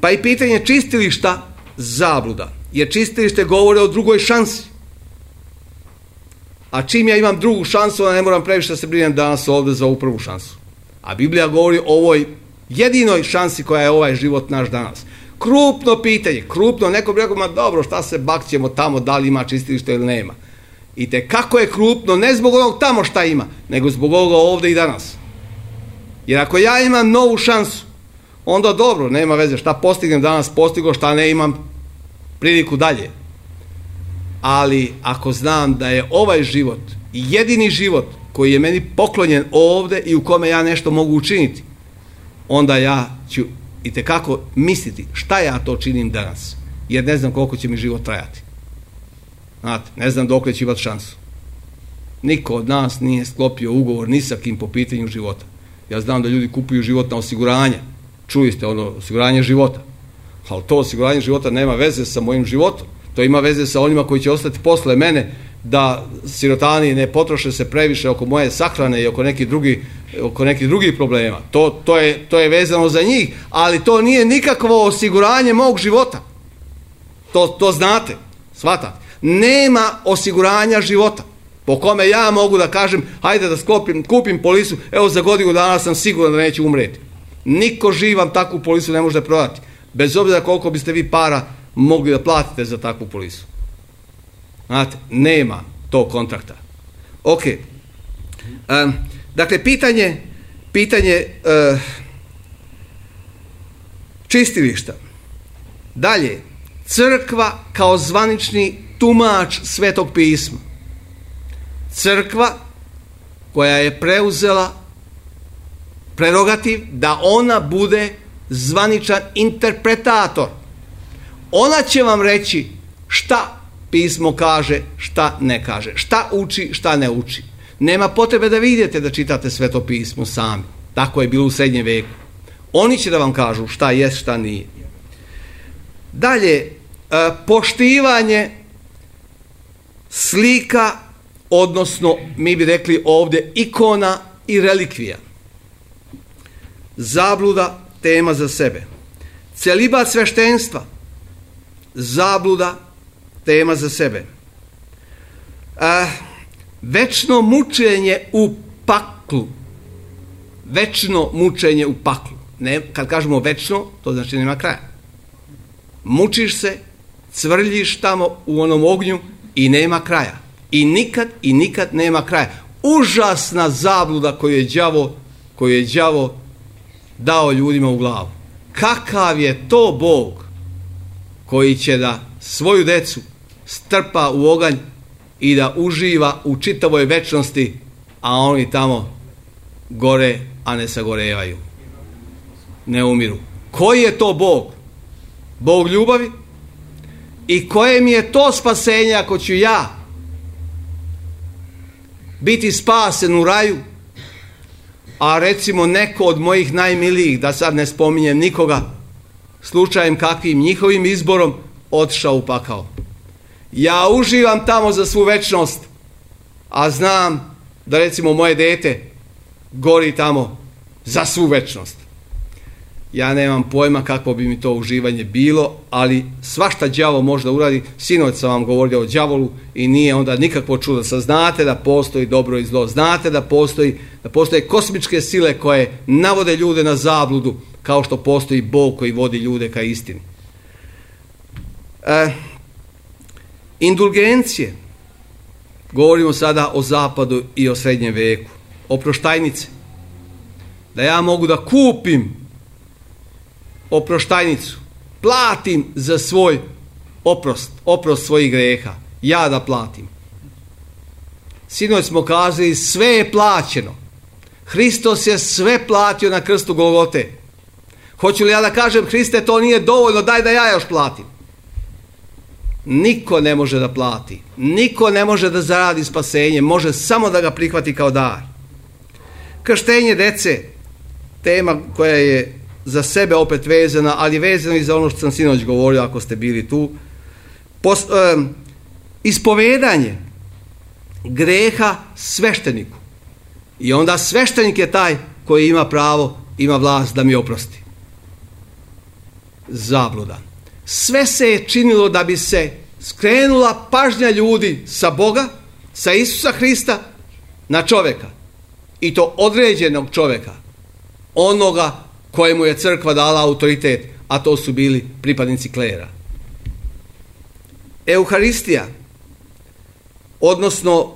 Pa i pitanje čistilišta, zabluda. Jer čistilište govore o drugoj šansi. A čim ja imam drugu šansu, onda ne moram previše da se brinem danas ovdje za ovu prvu šansu. A Biblija govori o ovoj jedinoj šansi koja je ovaj život naš danas. Krupno pitanje, krupno, neko bi rekao, ma dobro, šta se bakćemo tamo, da li ima čistilište ili nema. I te kako je krupno, ne zbog onog tamo šta ima, nego zbog ovoga ovdje i danas. Jer ako ja imam novu šansu, onda dobro, nema veze, šta postignem danas, postigo, šta ne imam, priliku dalje. Ali ako znam da je ovaj život jedini život koji je meni poklonjen ovdje i u kome ja nešto mogu učiniti, onda ja ću itekako misliti šta ja to činim danas, jer ne znam koliko će mi život trajati. Znate, ne znam dokle ću imati šansu. Niko od nas nije sklopio ugovor ni sa kim po pitanju života. Ja znam da ljudi kupuju život na osiguranje. Čuli ste ono osiguranje života. Ali to osiguranje života nema veze sa mojim životom. To ima veze sa onima koji će ostati posle mene, da sirotani ne potroše se previše oko moje sahrane i oko nekih drugih, oko nekih drugih problema. To, to, je, to je vezano za njih, ali to nije nikakvo osiguranje mog života. To, to znate, shvatate. Nema osiguranja života po kome ja mogu da kažem hajde da sklopim, kupim polisu, evo za godinu dana sam siguran da neću umreti. Niko živ vam takvu polisu ne može prodati, bez obzira koliko biste vi para mogli da platite za takvu polisu. Znate, nema tog kontrakta. Ok. Um, dakle, pitanje, pitanje uh, čistilišta. Dalje, crkva kao zvanični tumač Svetog pisma. Crkva koja je preuzela prerogativ da ona bude zvaničan interpretator. Ona će vam reći šta pismo kaže, šta ne kaže, šta uči, šta ne uči. Nema potrebe da vidite da čitate Sveto pismo sami. Tako je bilo u srednjem veku. Oni će da vam kažu šta je, šta nije. Dalje, poštivanje slika, odnosno mi bi rekli ovdje ikona i relikvija. Zabluda, tema za sebe. Celibat sveštenstva, zabluda, tema za sebe. A, večno mučenje u paklu. Večno mučenje u paklu. Ne, kad kažemo večno, to znači nema kraja. Mučiš se, cvrljiš tamo u onom ognju i nema kraja. I nikad i nikad nema kraja. Užasna zabluda koju je đavo, koju je đavo dao ljudima u glavu. Kakav je to Bog koji će da svoju decu strpa u oganj i da uživa u čitavoj večnosti, a oni tamo gore, a ne sagorevaju, ne umiru. Koji je to Bog? Bog ljubavi? I koje mi je to spasenje ako ću ja biti spasen u raju, a recimo neko od mojih najmilijih, da sad ne spominjem nikoga, slučajem kakvim njihovim izborom otišao u pakao. Ja uživam tamo za svu večnost, a znam da recimo moje dete gori tamo za svu večnost. Ja nemam pojma kakvo bi mi to uživanje bilo, ali svašta đavo može da uradi. Sinoć sam vam govorio o đavolu i nije onda nikakvo čudo. Sad znate da postoji dobro i zlo, znate da postoji, da postoje kosmičke sile koje navode ljude na zabludu, kao što postoji Bog koji vodi ljude ka istini. E, indulgencije. Govorimo sada o zapadu i o srednjem veku. Oproštajnice. Da ja mogu da kupim oproštajnicu, platim za svoj oprost, oprost svojih greha. Ja da platim. Sinoć smo kazali, sve je plaćeno. Hristos je sve platio na krstu Golgote. Hoću li ja da kažem, Hriste, to nije dovoljno, daj da ja još platim. Niko ne može da plati. Niko ne može da zaradi spasenje. Može samo da ga prihvati kao dar. Krštenje dece, tema koja je za sebe opet vezana, ali vezano i za ono što sam sinoć govorio, ako ste bili tu. Pos, um, ispovedanje greha svešteniku. I onda sveštenik je taj koji ima pravo, ima vlast da mi oprosti. Zabluda. Sve se je činilo da bi se skrenula pažnja ljudi sa Boga, sa Isusa Hrista, na čovjeka. I to određenog čovjeka. Onoga kojemu je crkva dala autoritet, a to su bili pripadnici klera. Euharistija, odnosno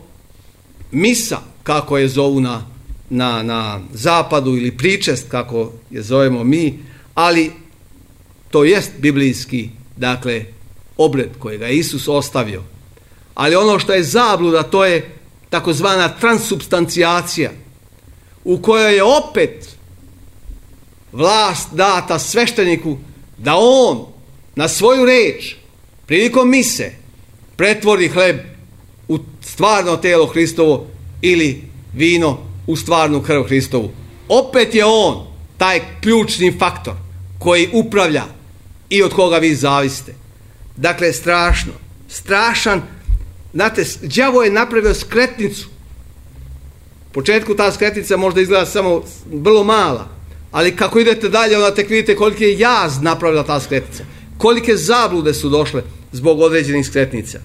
misa, kako je zovu na, na, na zapadu, ili pričest, kako je zovemo mi, ali to jest biblijski, dakle, obred kojega je Isus ostavio. Ali ono što je zabluda, to je takozvana transubstancijacija, u kojoj je opet vlast data svešteniku da on na svoju reč prilikom mise pretvori hleb u stvarno telo Hristovo ili vino u stvarnu krv Hristovu. Opet je on taj ključni faktor koji upravlja i od koga vi zavisite. Dakle, strašno, strašan. Znate, đavo je napravio skretnicu. U početku ta skretnica možda izgleda samo vrlo mala, ali kako idete dalje, onda tek vidite koliki je jaz napravila ta skretnica. Kolike zablude su došle zbog određenih skretnica.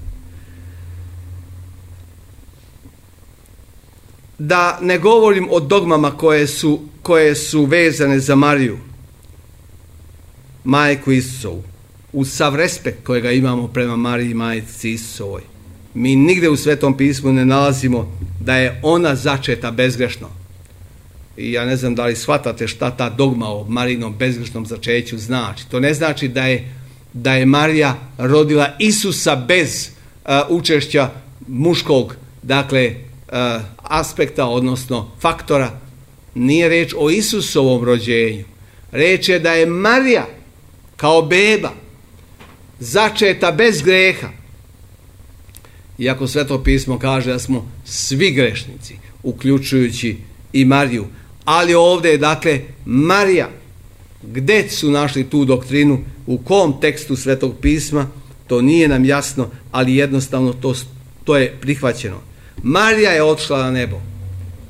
Da ne govorim o dogmama koje su, koje su vezane za Mariju, majku Isusovu, uz sav respekt kojega imamo prema Mariji, majci Isusovoj. Mi nigde u Svetom pismu ne nalazimo da je ona začeta bezgrešno. I ja ne znam da li shvatate šta ta dogma o Marijinom bezgrešnom začeću znači. To ne znači da je, da je Marija rodila Isusa bez uh, učešća muškog, dakle, uh, aspekta, odnosno faktora. Nije reč o Isusovom rođenju. Reč je da je Marija kao beba začeta bez greha. Iako Sveto pismo kaže da smo svi grešnici, uključujući i Mariju. Ali ovdje je, dakle, Marija. Gde su našli tu doktrinu, u kom tekstu Svetog pisma, to nije nam jasno, ali jednostavno to, to je prihvaćeno. Marija je otišla na nebo.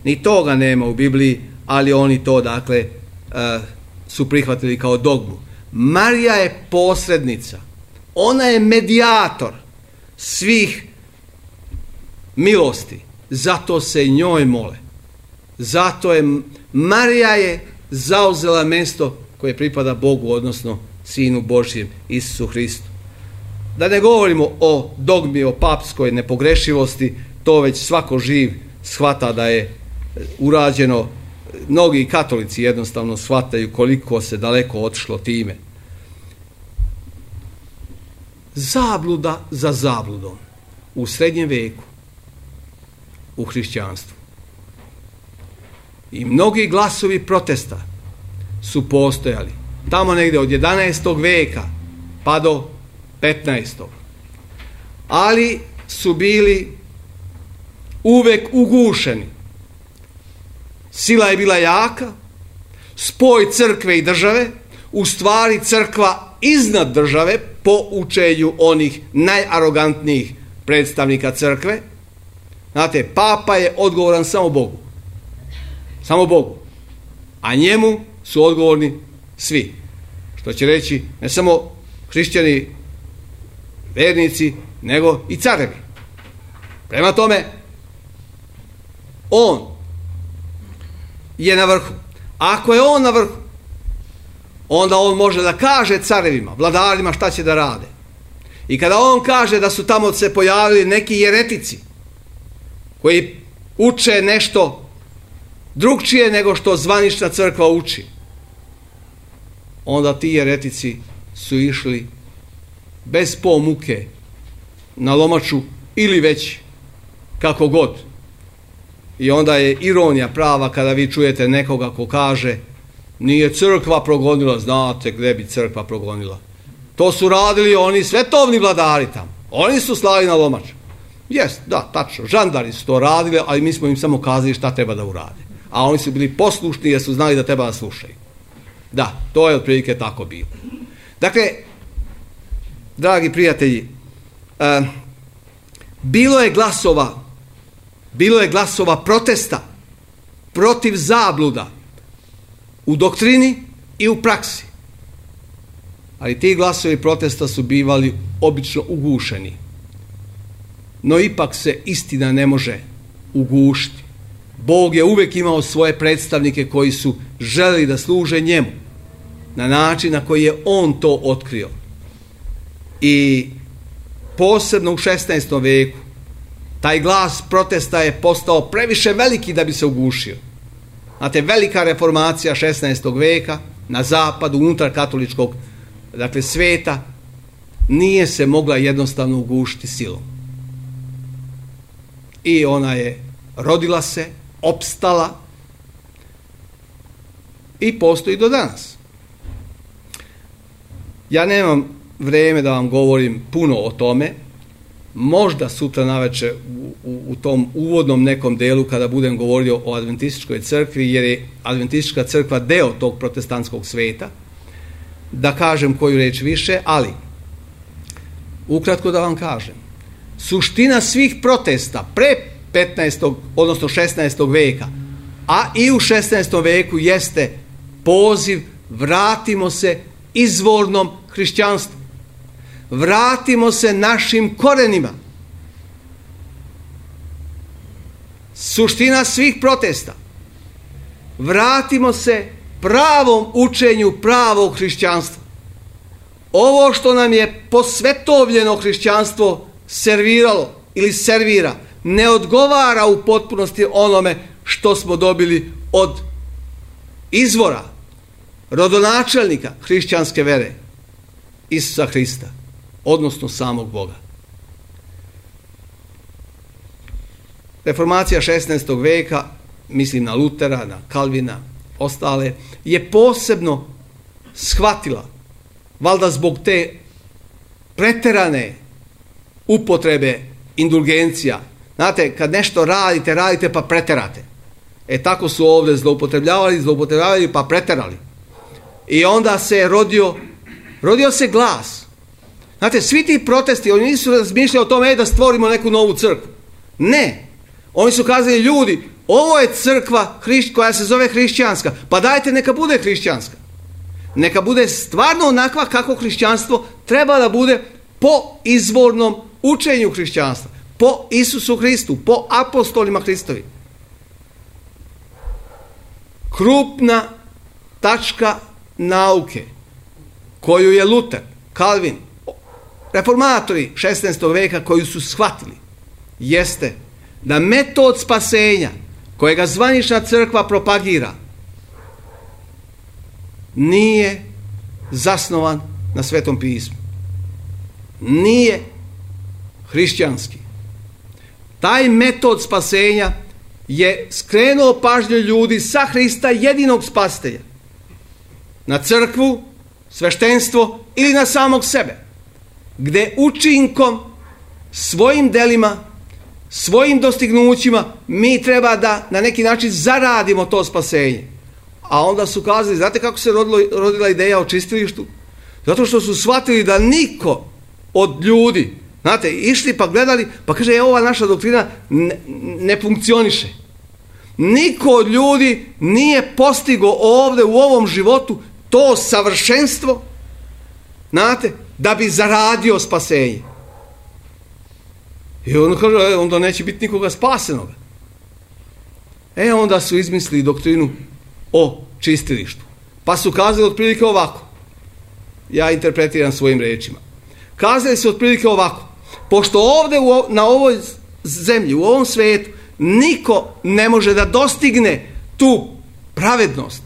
Ni toga nema u Bibliji, ali oni to, dakle, uh, su prihvatili kao dogmu. Marija je posrednica. Ona je medijator svih milosti. Zato se njoj mole. Zato je Marija je zauzela mjesto koje pripada Bogu, odnosno Sinu Božjem, Isusu Hristu. Da ne govorimo o dogmi, o papskoj nepogrešivosti, to već svako živ shvata da je urađeno. Mnogi katolici jednostavno shvataju koliko se daleko otišlo time. Zabluda za zabludom u srednjem veku u hrišćanstvu. I mnogi glasovi protesta su postojali tamo negdje od jedanaestog veka pa do petnaestog. Ali su bili uvek ugušeni. Sila je bila jaka, spoj crkve i države, u stvari crkva iznad države po učenju onih najarogantnijih predstavnika crkve. Znate, papa je odgovoran samo Bogu. Samo Bogu. A njemu su odgovorni svi. Što će reći ne samo hrišćani, vernici, nego i carevi. Prema tome, on je na vrhu. Ako je on na vrhu, onda on može da kaže carevima, vladarima šta će da rade. I kada on kaže da su tamo se pojavili neki jeretici koji uče nešto drugčije nego što zvanična crkva uči, onda ti jeretici su išli bez po muke na lomaču ili već kako god. I onda je ironija prava kada vi čujete nekoga ko kaže nije crkva progonila. Znate gdje bi crkva progonila? To su radili oni svetovni vladari tamo. Oni su slali na lomač. Jest, da, tačno, žandari su to radili, ali mi smo im samo kazali šta treba da urade. A oni su bili poslušni jer su znali da treba da slušaju. Da, to je otprilike tako bilo. Dakle, dragi prijatelji, uh, bilo je glasova, bilo je glasova protesta protiv zabluda u doktrini i u praksi. Ali ti glasovi protesta su bivali obično ugušeni. No ipak se istina ne može ugušiti. Bog je uvijek imao svoje predstavnike koji su želeli da služe njemu na način na koji je on to otkrio. I posebno u šesnaestom veku taj glas protesta je postao previše veliki da bi se ugušio. Znate, velika reformacija šesnaestog veka na zapadu, unutar katoličkog, dakle, sveta, nije se mogla jednostavno ugušiti silom. I ona je rodila se, opstala i postoji do danas. Ja nemam vrijeme da vam govorim puno o tome, možda sutra navečer u, u, u tom uvodnom nekom delu kada budem govorio o adventističkoj crkvi, jer je adventistička crkva deo tog protestantskog sveta, da kažem koju reč više, ali ukratko da vam kažem, suština svih protesta pre petnaestog odnosno šesnaestog veka, a i u šesnaestom veku jeste poziv vratimo se izvornom hrišćanstvu. Vratimo se našim korenima. Suština svih protesta. Vratimo se pravom učenju pravog hrišćanstva. Ovo što nam je posvetovljeno hrišćanstvo serviralo ili servira, ne odgovara u potpunosti onome što smo dobili od izvora, rodonačelnika hrišćanske vere, Isusa Hrista, odnosno samog Boga. Reformacija šesnaestog veka, mislim na Lutera, na Kalvina, ostale, je posebno shvatila, valjda zbog te preterane upotrebe indulgencija. Znate, kad nešto radite, radite pa preterate. E tako su ovdje zloupotrebljavali, zloupotrebljavali pa preterali. I onda se rodio, rodio se glas. Znate, svi ti protesti, oni nisu razmišljali o tome da stvorimo neku novu crkvu. Ne. Oni su kazali, ljudi, ovo je crkva koja se zove hrišćanska, pa dajte neka bude hrišćanska. Neka bude stvarno onakva kako hrišćanstvo treba da bude po izvornom učenju hrišćanstva, po Isusu Hristu, po apostolima Hristovi. Krupna tačka nauke koju je Luter, Kalvin, reformatori šesnaestog veka koju su shvatili, jeste da metod spasenja kojega zvanična crkva propagira nije zasnovan na Svetom pismu. Nije hrišćanski. Taj metod spasenja je skrenuo pažnju ljudi sa Hrista jedinog spasitelja na crkvu, sveštenstvo ili na samog sebe, gde učinkom, svojim delima, svojim dostignućima mi treba da na neki način zaradimo to spasenje. A onda su kazali, znate kako se rodilo, rodila ideja o čistilištu? Zato što su shvatili da niko od ljudi, znate, išli pa gledali, pa kaže, je ova naša doktrina ne, ne funkcioniše. Niko od ljudi nije postigo ovdje u ovom životu to savršenstvo, znate, da bi zaradio spasenje. I onda kaže, e, onda neće biti nikoga spasenoga. E, onda su izmislili doktrinu o čistilištu. Pa su kazali otprilike ovako. Ja interpretiram svojim rečima. Kazali su otprilike ovako. Pošto ovdje u, na ovoj zemlji, u ovom svijetu, niko ne može da dostigne tu pravednost,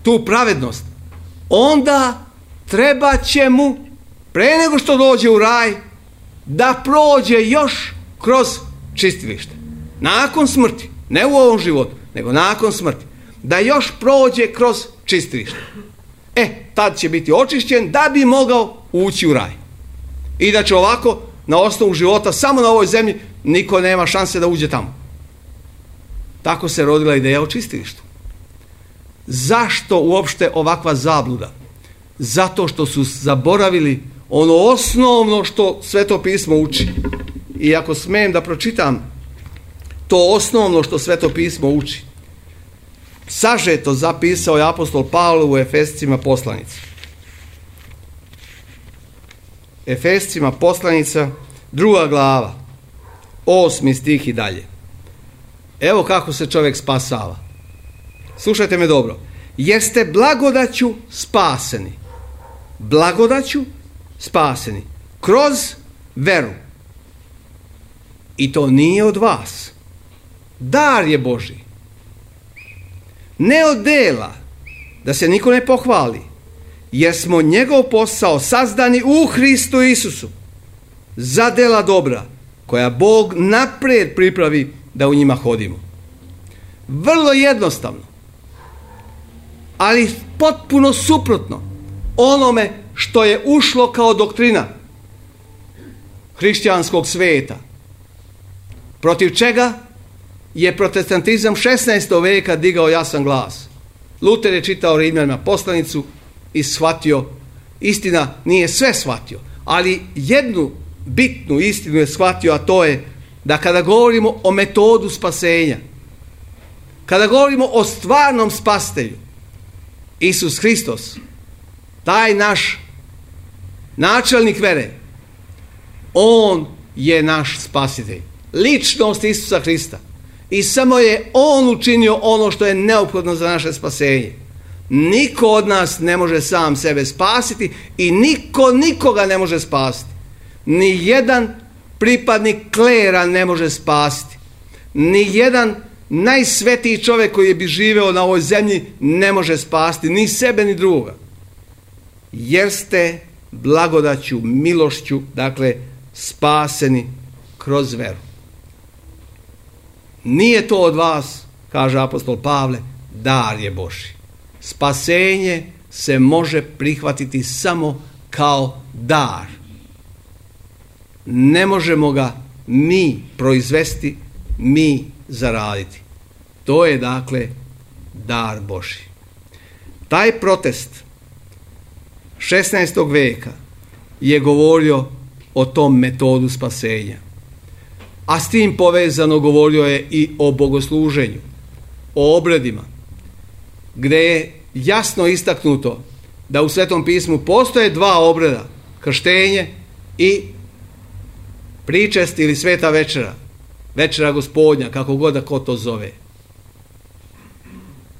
tu pravednost, onda treba će mu, pre nego što dođe u raj, da prođe još kroz čistilište. Nakon smrti, ne u ovom životu, nego nakon smrti, da još prođe kroz čistilište. E, tad će biti očišćen da bi mogao ući u raj. I da će ovako, na osnovu života, samo na ovoj zemlji, niko nema šanse da uđe tamo. Tako se rodila ideja o čistilištu. Zašto uopšte ovakva zabluda? Zato što su zaboravili ono osnovno što Sveto pismo uči. I ako smijem da pročitam to osnovno što Sveto pismo uči, sažeto zapisao je apostol Pavle u Efescima poslanici. Efescima poslanica, druga glava, osmi stih i dalje. Evo kako se čovjek spasava. Slušajte me dobro. Jeste blagodaću spaseni. Blagodaću spaseni. Kroz veru. I to nije od vas. Dar je Božji. Ne od dela, da se niko ne pohvali. jer smo njegov posao sazdani u Hristu Isusu za dela dobra koja Bog naprijed pripravi da u njima hodimo. Vrlo jednostavno, ali potpuno suprotno onome što je ušlo kao doktrina hrišćanskog sveta, protiv čega je protestantizam šesnaestog veka digao jasan glas. Luter je čitao Rimljanima poslanicu i shvatio, istina nije sve shvatio, ali jednu bitnu istinu je shvatio, a to je da kada govorimo o metodu spasenja, kada govorimo o stvarnom spasitelju, Isus Hristos, taj naš načelnik vere, on je naš spasitelj, ličnost Isusa Hrista, i samo je on učinio ono što je neophodno za naše spasenje. Niko od nas ne može sam sebe spasiti i niko nikoga ne može spasiti. Ni jedan pripadnik klera ne može spasiti. Ni jedan najsvetiji čovjek koji bi živeo na ovoj zemlji ne može spasiti ni sebe ni drugoga. Jer ste blagodaću, milošću, dakle, spaseni kroz veru. Nije to od vas, kaže apostol Pavle, dar je Božji. Spasenje se može prihvatiti samo kao dar. Ne možemo ga mi proizvesti, mi zaraditi. To je dakle dar Božji. Taj protest šesnaestog veka je govorio o tom metodu spasenja. A s tim povezano govorio je i o bogosluženju, o obredima, gdje je jasno istaknuto da u Svetom pismu postoje dva obreda, krštenje i pričest ili sveta večera, večera Gospodnja, kako god da ko to zove.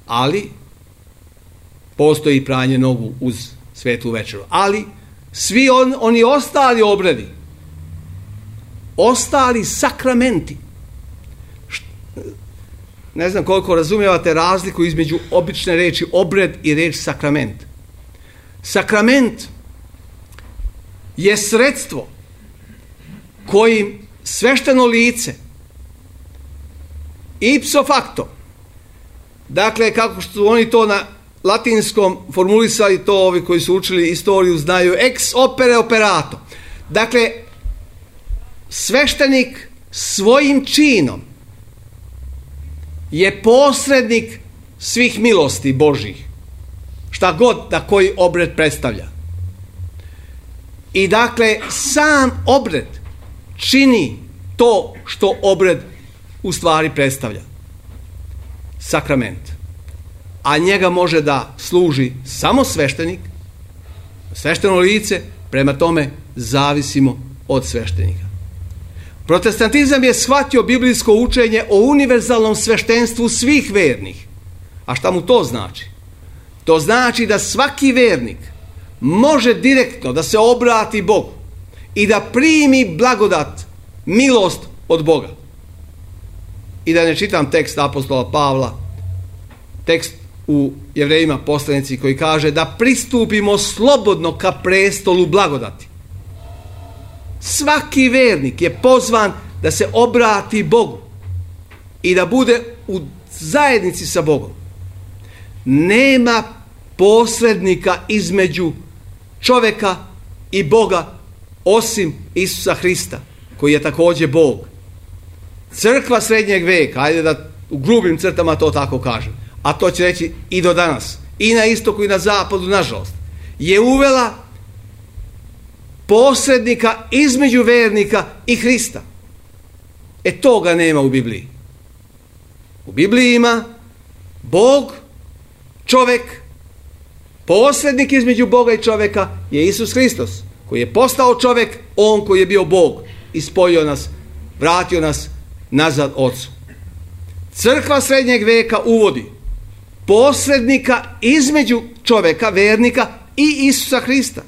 Ali postoji i pranje nogu uz svetu večeru. Ali svi on, oni ostali obredi, ostali sakramenti, ne znam koliko razumijevate razliku između obične reči obred i reč sakrament. Sakrament je sredstvo kojim svešteno lice ipso facto, dakle kako su oni to na latinskom formulisali, to ovi koji su učili istoriju znaju, ex opere operato, dakle sveštenik svojim činom je posrednik svih milosti Božjih, šta god da koji obred predstavlja. I dakle sam obred čini to što obred u stvari predstavlja, sakrament, a njega može da služi samo sveštenik, svešteno lice, prema tome zavisimo od sveštenika. Protestantizam je shvatio biblijsko učenje o univerzalnom sveštenstvu svih vernih. A šta mu to znači? To znači da svaki vernik može direktno da se obrati Bogu i da primi blagodat, milost od Boga. I da ne čitam tekst apostola Pavla, tekst u Jevrejima poslanici koji kaže da pristupimo slobodno ka prestolu blagodati. Svaki vernik je pozvan da se obrati Bogu i da bude u zajednici sa Bogom. Nema posrednika između čovjeka i Boga osim Isusa Hrista, koji je također Bog. Crkva srednjeg veka, ajde da u grubim crtama to tako kažem, a to će reći i do danas, i na istoku i na zapadu, nažalost, je uvela posrednika između vernika i Hrista. E toga nema u Bibliji. U Bibliji ima Bog, čovjek, posrednik između Boga i čovjeka je Isus Hristos, koji je postao čovjek, on koji je bio Bog i spojio nas, vratio nas nazad Ocu. Crkva srednjeg veka uvodi posrednika između čovjeka, vernika i Isusa Hrista.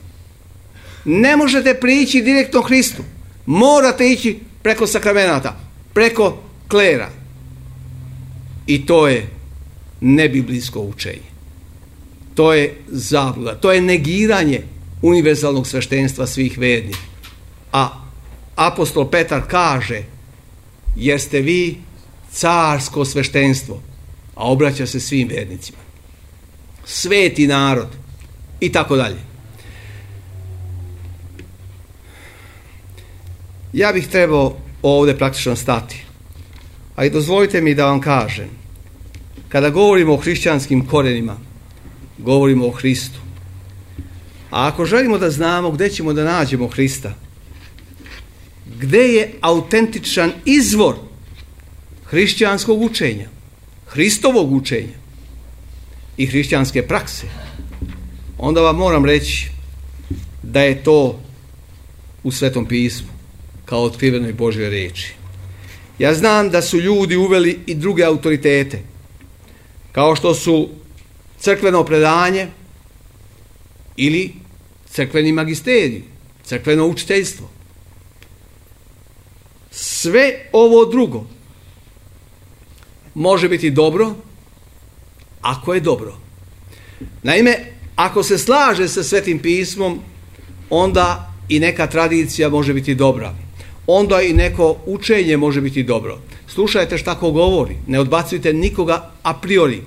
Ne možete prići direktno Hristu. Morate ići preko sakramenata, preko klera. I to je nebiblijsko učenje. to je zabluda, to je negiranje univerzalnog sveštenstva svih vernih. A apostol Petar kaže, jer ste vi carsko sveštenstvo, a obraća se svim vernicima, sveti narod i tako dalje. Ja bih trebao ovdje praktično stati, a i dozvolite mi da vam kažem, kada govorimo o hrišćanskim korenima, govorimo o Hristu. A ako želimo da znamo gdje ćemo da nađemo Hrista, gdje je autentičan izvor hrišćanskog učenja, Hristovog učenja i hrišćanske prakse, onda vam moram reći da je to u Svetom pismu, kao otkrivenoj Božjoj riječi. Ja znam da su ljudi uveli i druge autoritete, kao što su crkveno predanje ili crkveni magisterij, crkveno učiteljstvo. Sve ovo drugo može biti dobro ako je dobro. Naime, ako se slaže sa Svetim pismom, onda i neka tradicija može biti dobra. Onda i neko učenje može biti dobro. Slušajte šta ko govori. Ne odbacujte nikoga a priori.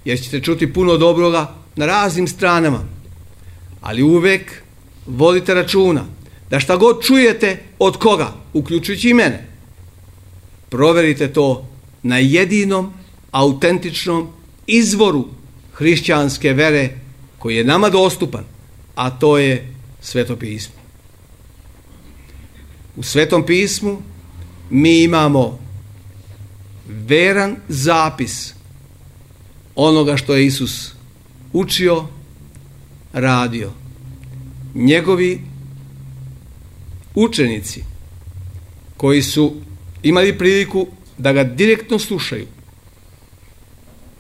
Jer ćete čuti puno dobroga na raznim stranama. Ali uvek vodite računa da šta god čujete od koga, uključujući i mene, proverite to na jedinom autentičnom izvoru hrišćanske vere koji je nama dostupan, a to je Sveto pismo. U Svetom pismu mi imamo veran zapis onoga što je Isus učio, radio. Njegovi učenici koji su imali priliku da ga direktno slušaju,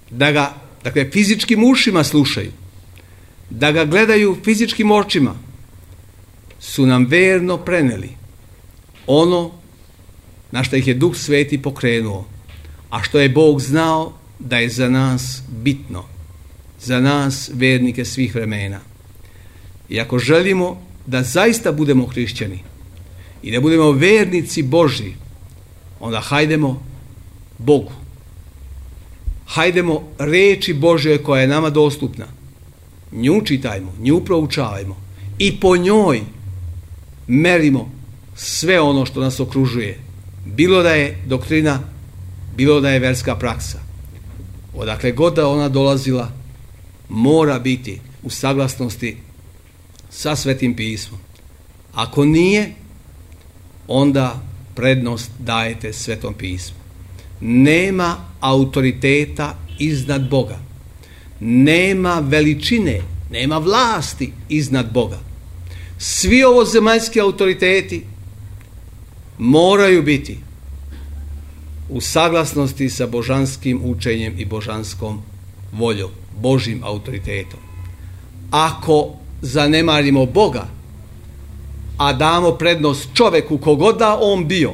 da ga, dakle, fizičkim ušima slušaju, da ga gledaju fizičkim očima, su nam verno preneli ono na što ih je Duh Sveti pokrenuo, a što je Bog znao da je za nas bitno, za nas vernike svih vremena. I ako želimo da zaista budemo hrišćani i da budemo vernici Božji, onda hajdemo Bogu. Hajdemo reči Božje koja je nama dostupna. Nju čitajmo, nju proučavajmo i po njoj merimo sve ono što nas okružuje. Bilo da je doktrina, bilo da je verska praksa. Odakle god da ona dolazila, mora biti u saglasnosti sa Svetim pismom. Ako nije, onda prednost dajete Svetom pismu. Nema autoriteta iznad Boga. Nema veličine, nema vlasti iznad Boga. Svi ovozemaljski autoriteti moraju biti u saglasnosti sa božanskim učenjem i božanskom voljom, Božjim autoritetom. Ako zanemarimo Boga, a damo prednost čoveku kogod da on bio,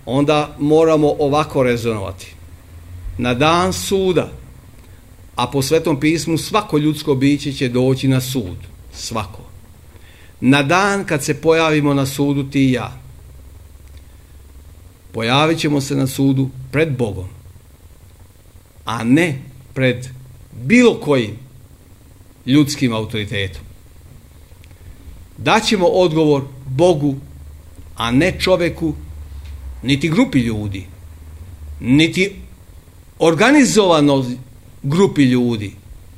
onda moramo ovako rezonovati. Na dan suda, a po Svetom pismu svako ljudsko biće će doći na sud, svako. Na dan kad se pojavimo na sudu ti i ja, pojavit ćemo se na sudu pred Bogom, a ne pred bilo kojim ljudskim autoritetom. Daćemo odgovor Bogu, a ne čoveku, niti grupi ljudi, niti organizovanoj grupi ljudi,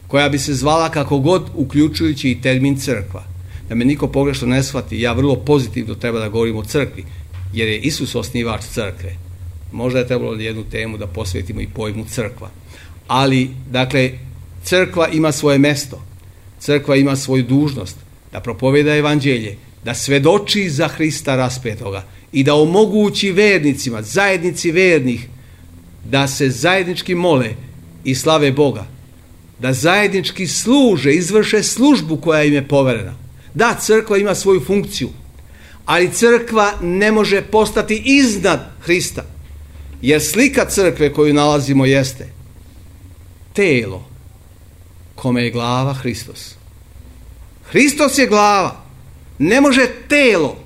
koja bi se zvala kako god, uključujući i termin crkva. Da me niko pogrešno ne shvati, ja vrlo pozitivno treba da govorim o crkvi, jer je Isus osnivač crkve. Možda je trebalo jednu temu da posvetimo i pojmu crkva. Ali, dakle, crkva ima svoje mesto, crkva ima svoju dužnost da propoveda evanđelje, da svedoči za Hrista raspetoga i da omogući vernicima, zajednici vernih, da se zajednički mole i slave Boga, da zajednički služe, izvrše službu koja im je poverena. Da, crkva ima svoju funkciju, ali crkva ne može postati iznad Hrista, jer slika crkve koju nalazimo jeste telo kome je glava Hristos. Hristos je glava. Ne može telo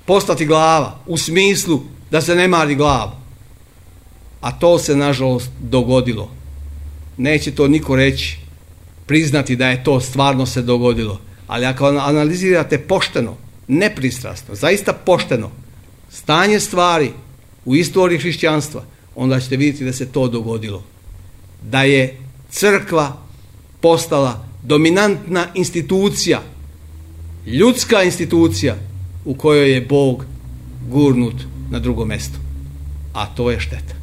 postati glava u smislu da se ne mari glavu. A to se nažalost dogodilo. Neće to niko reći, priznati da je to stvarno se dogodilo. Ali ako analizirate pošteno, nepristrasno, zaista pošteno stanje stvari u istoriji hrišćanstva, onda ćete vidjeti da se to dogodilo. Da je crkva postala dominantna institucija, ljudska institucija u kojoj je Bog gurnut na drugo mjesto. A to je šteta.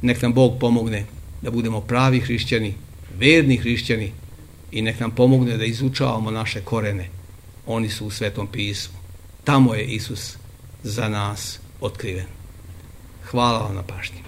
Nek nam Bog pomogne da budemo pravi hrišćani, verni hrišćani i nek nam pomogne da izučavamo naše korene. Oni su u Svetom pismu. Tamo je Isus za nas otkriven. Hvala vam na pažnji.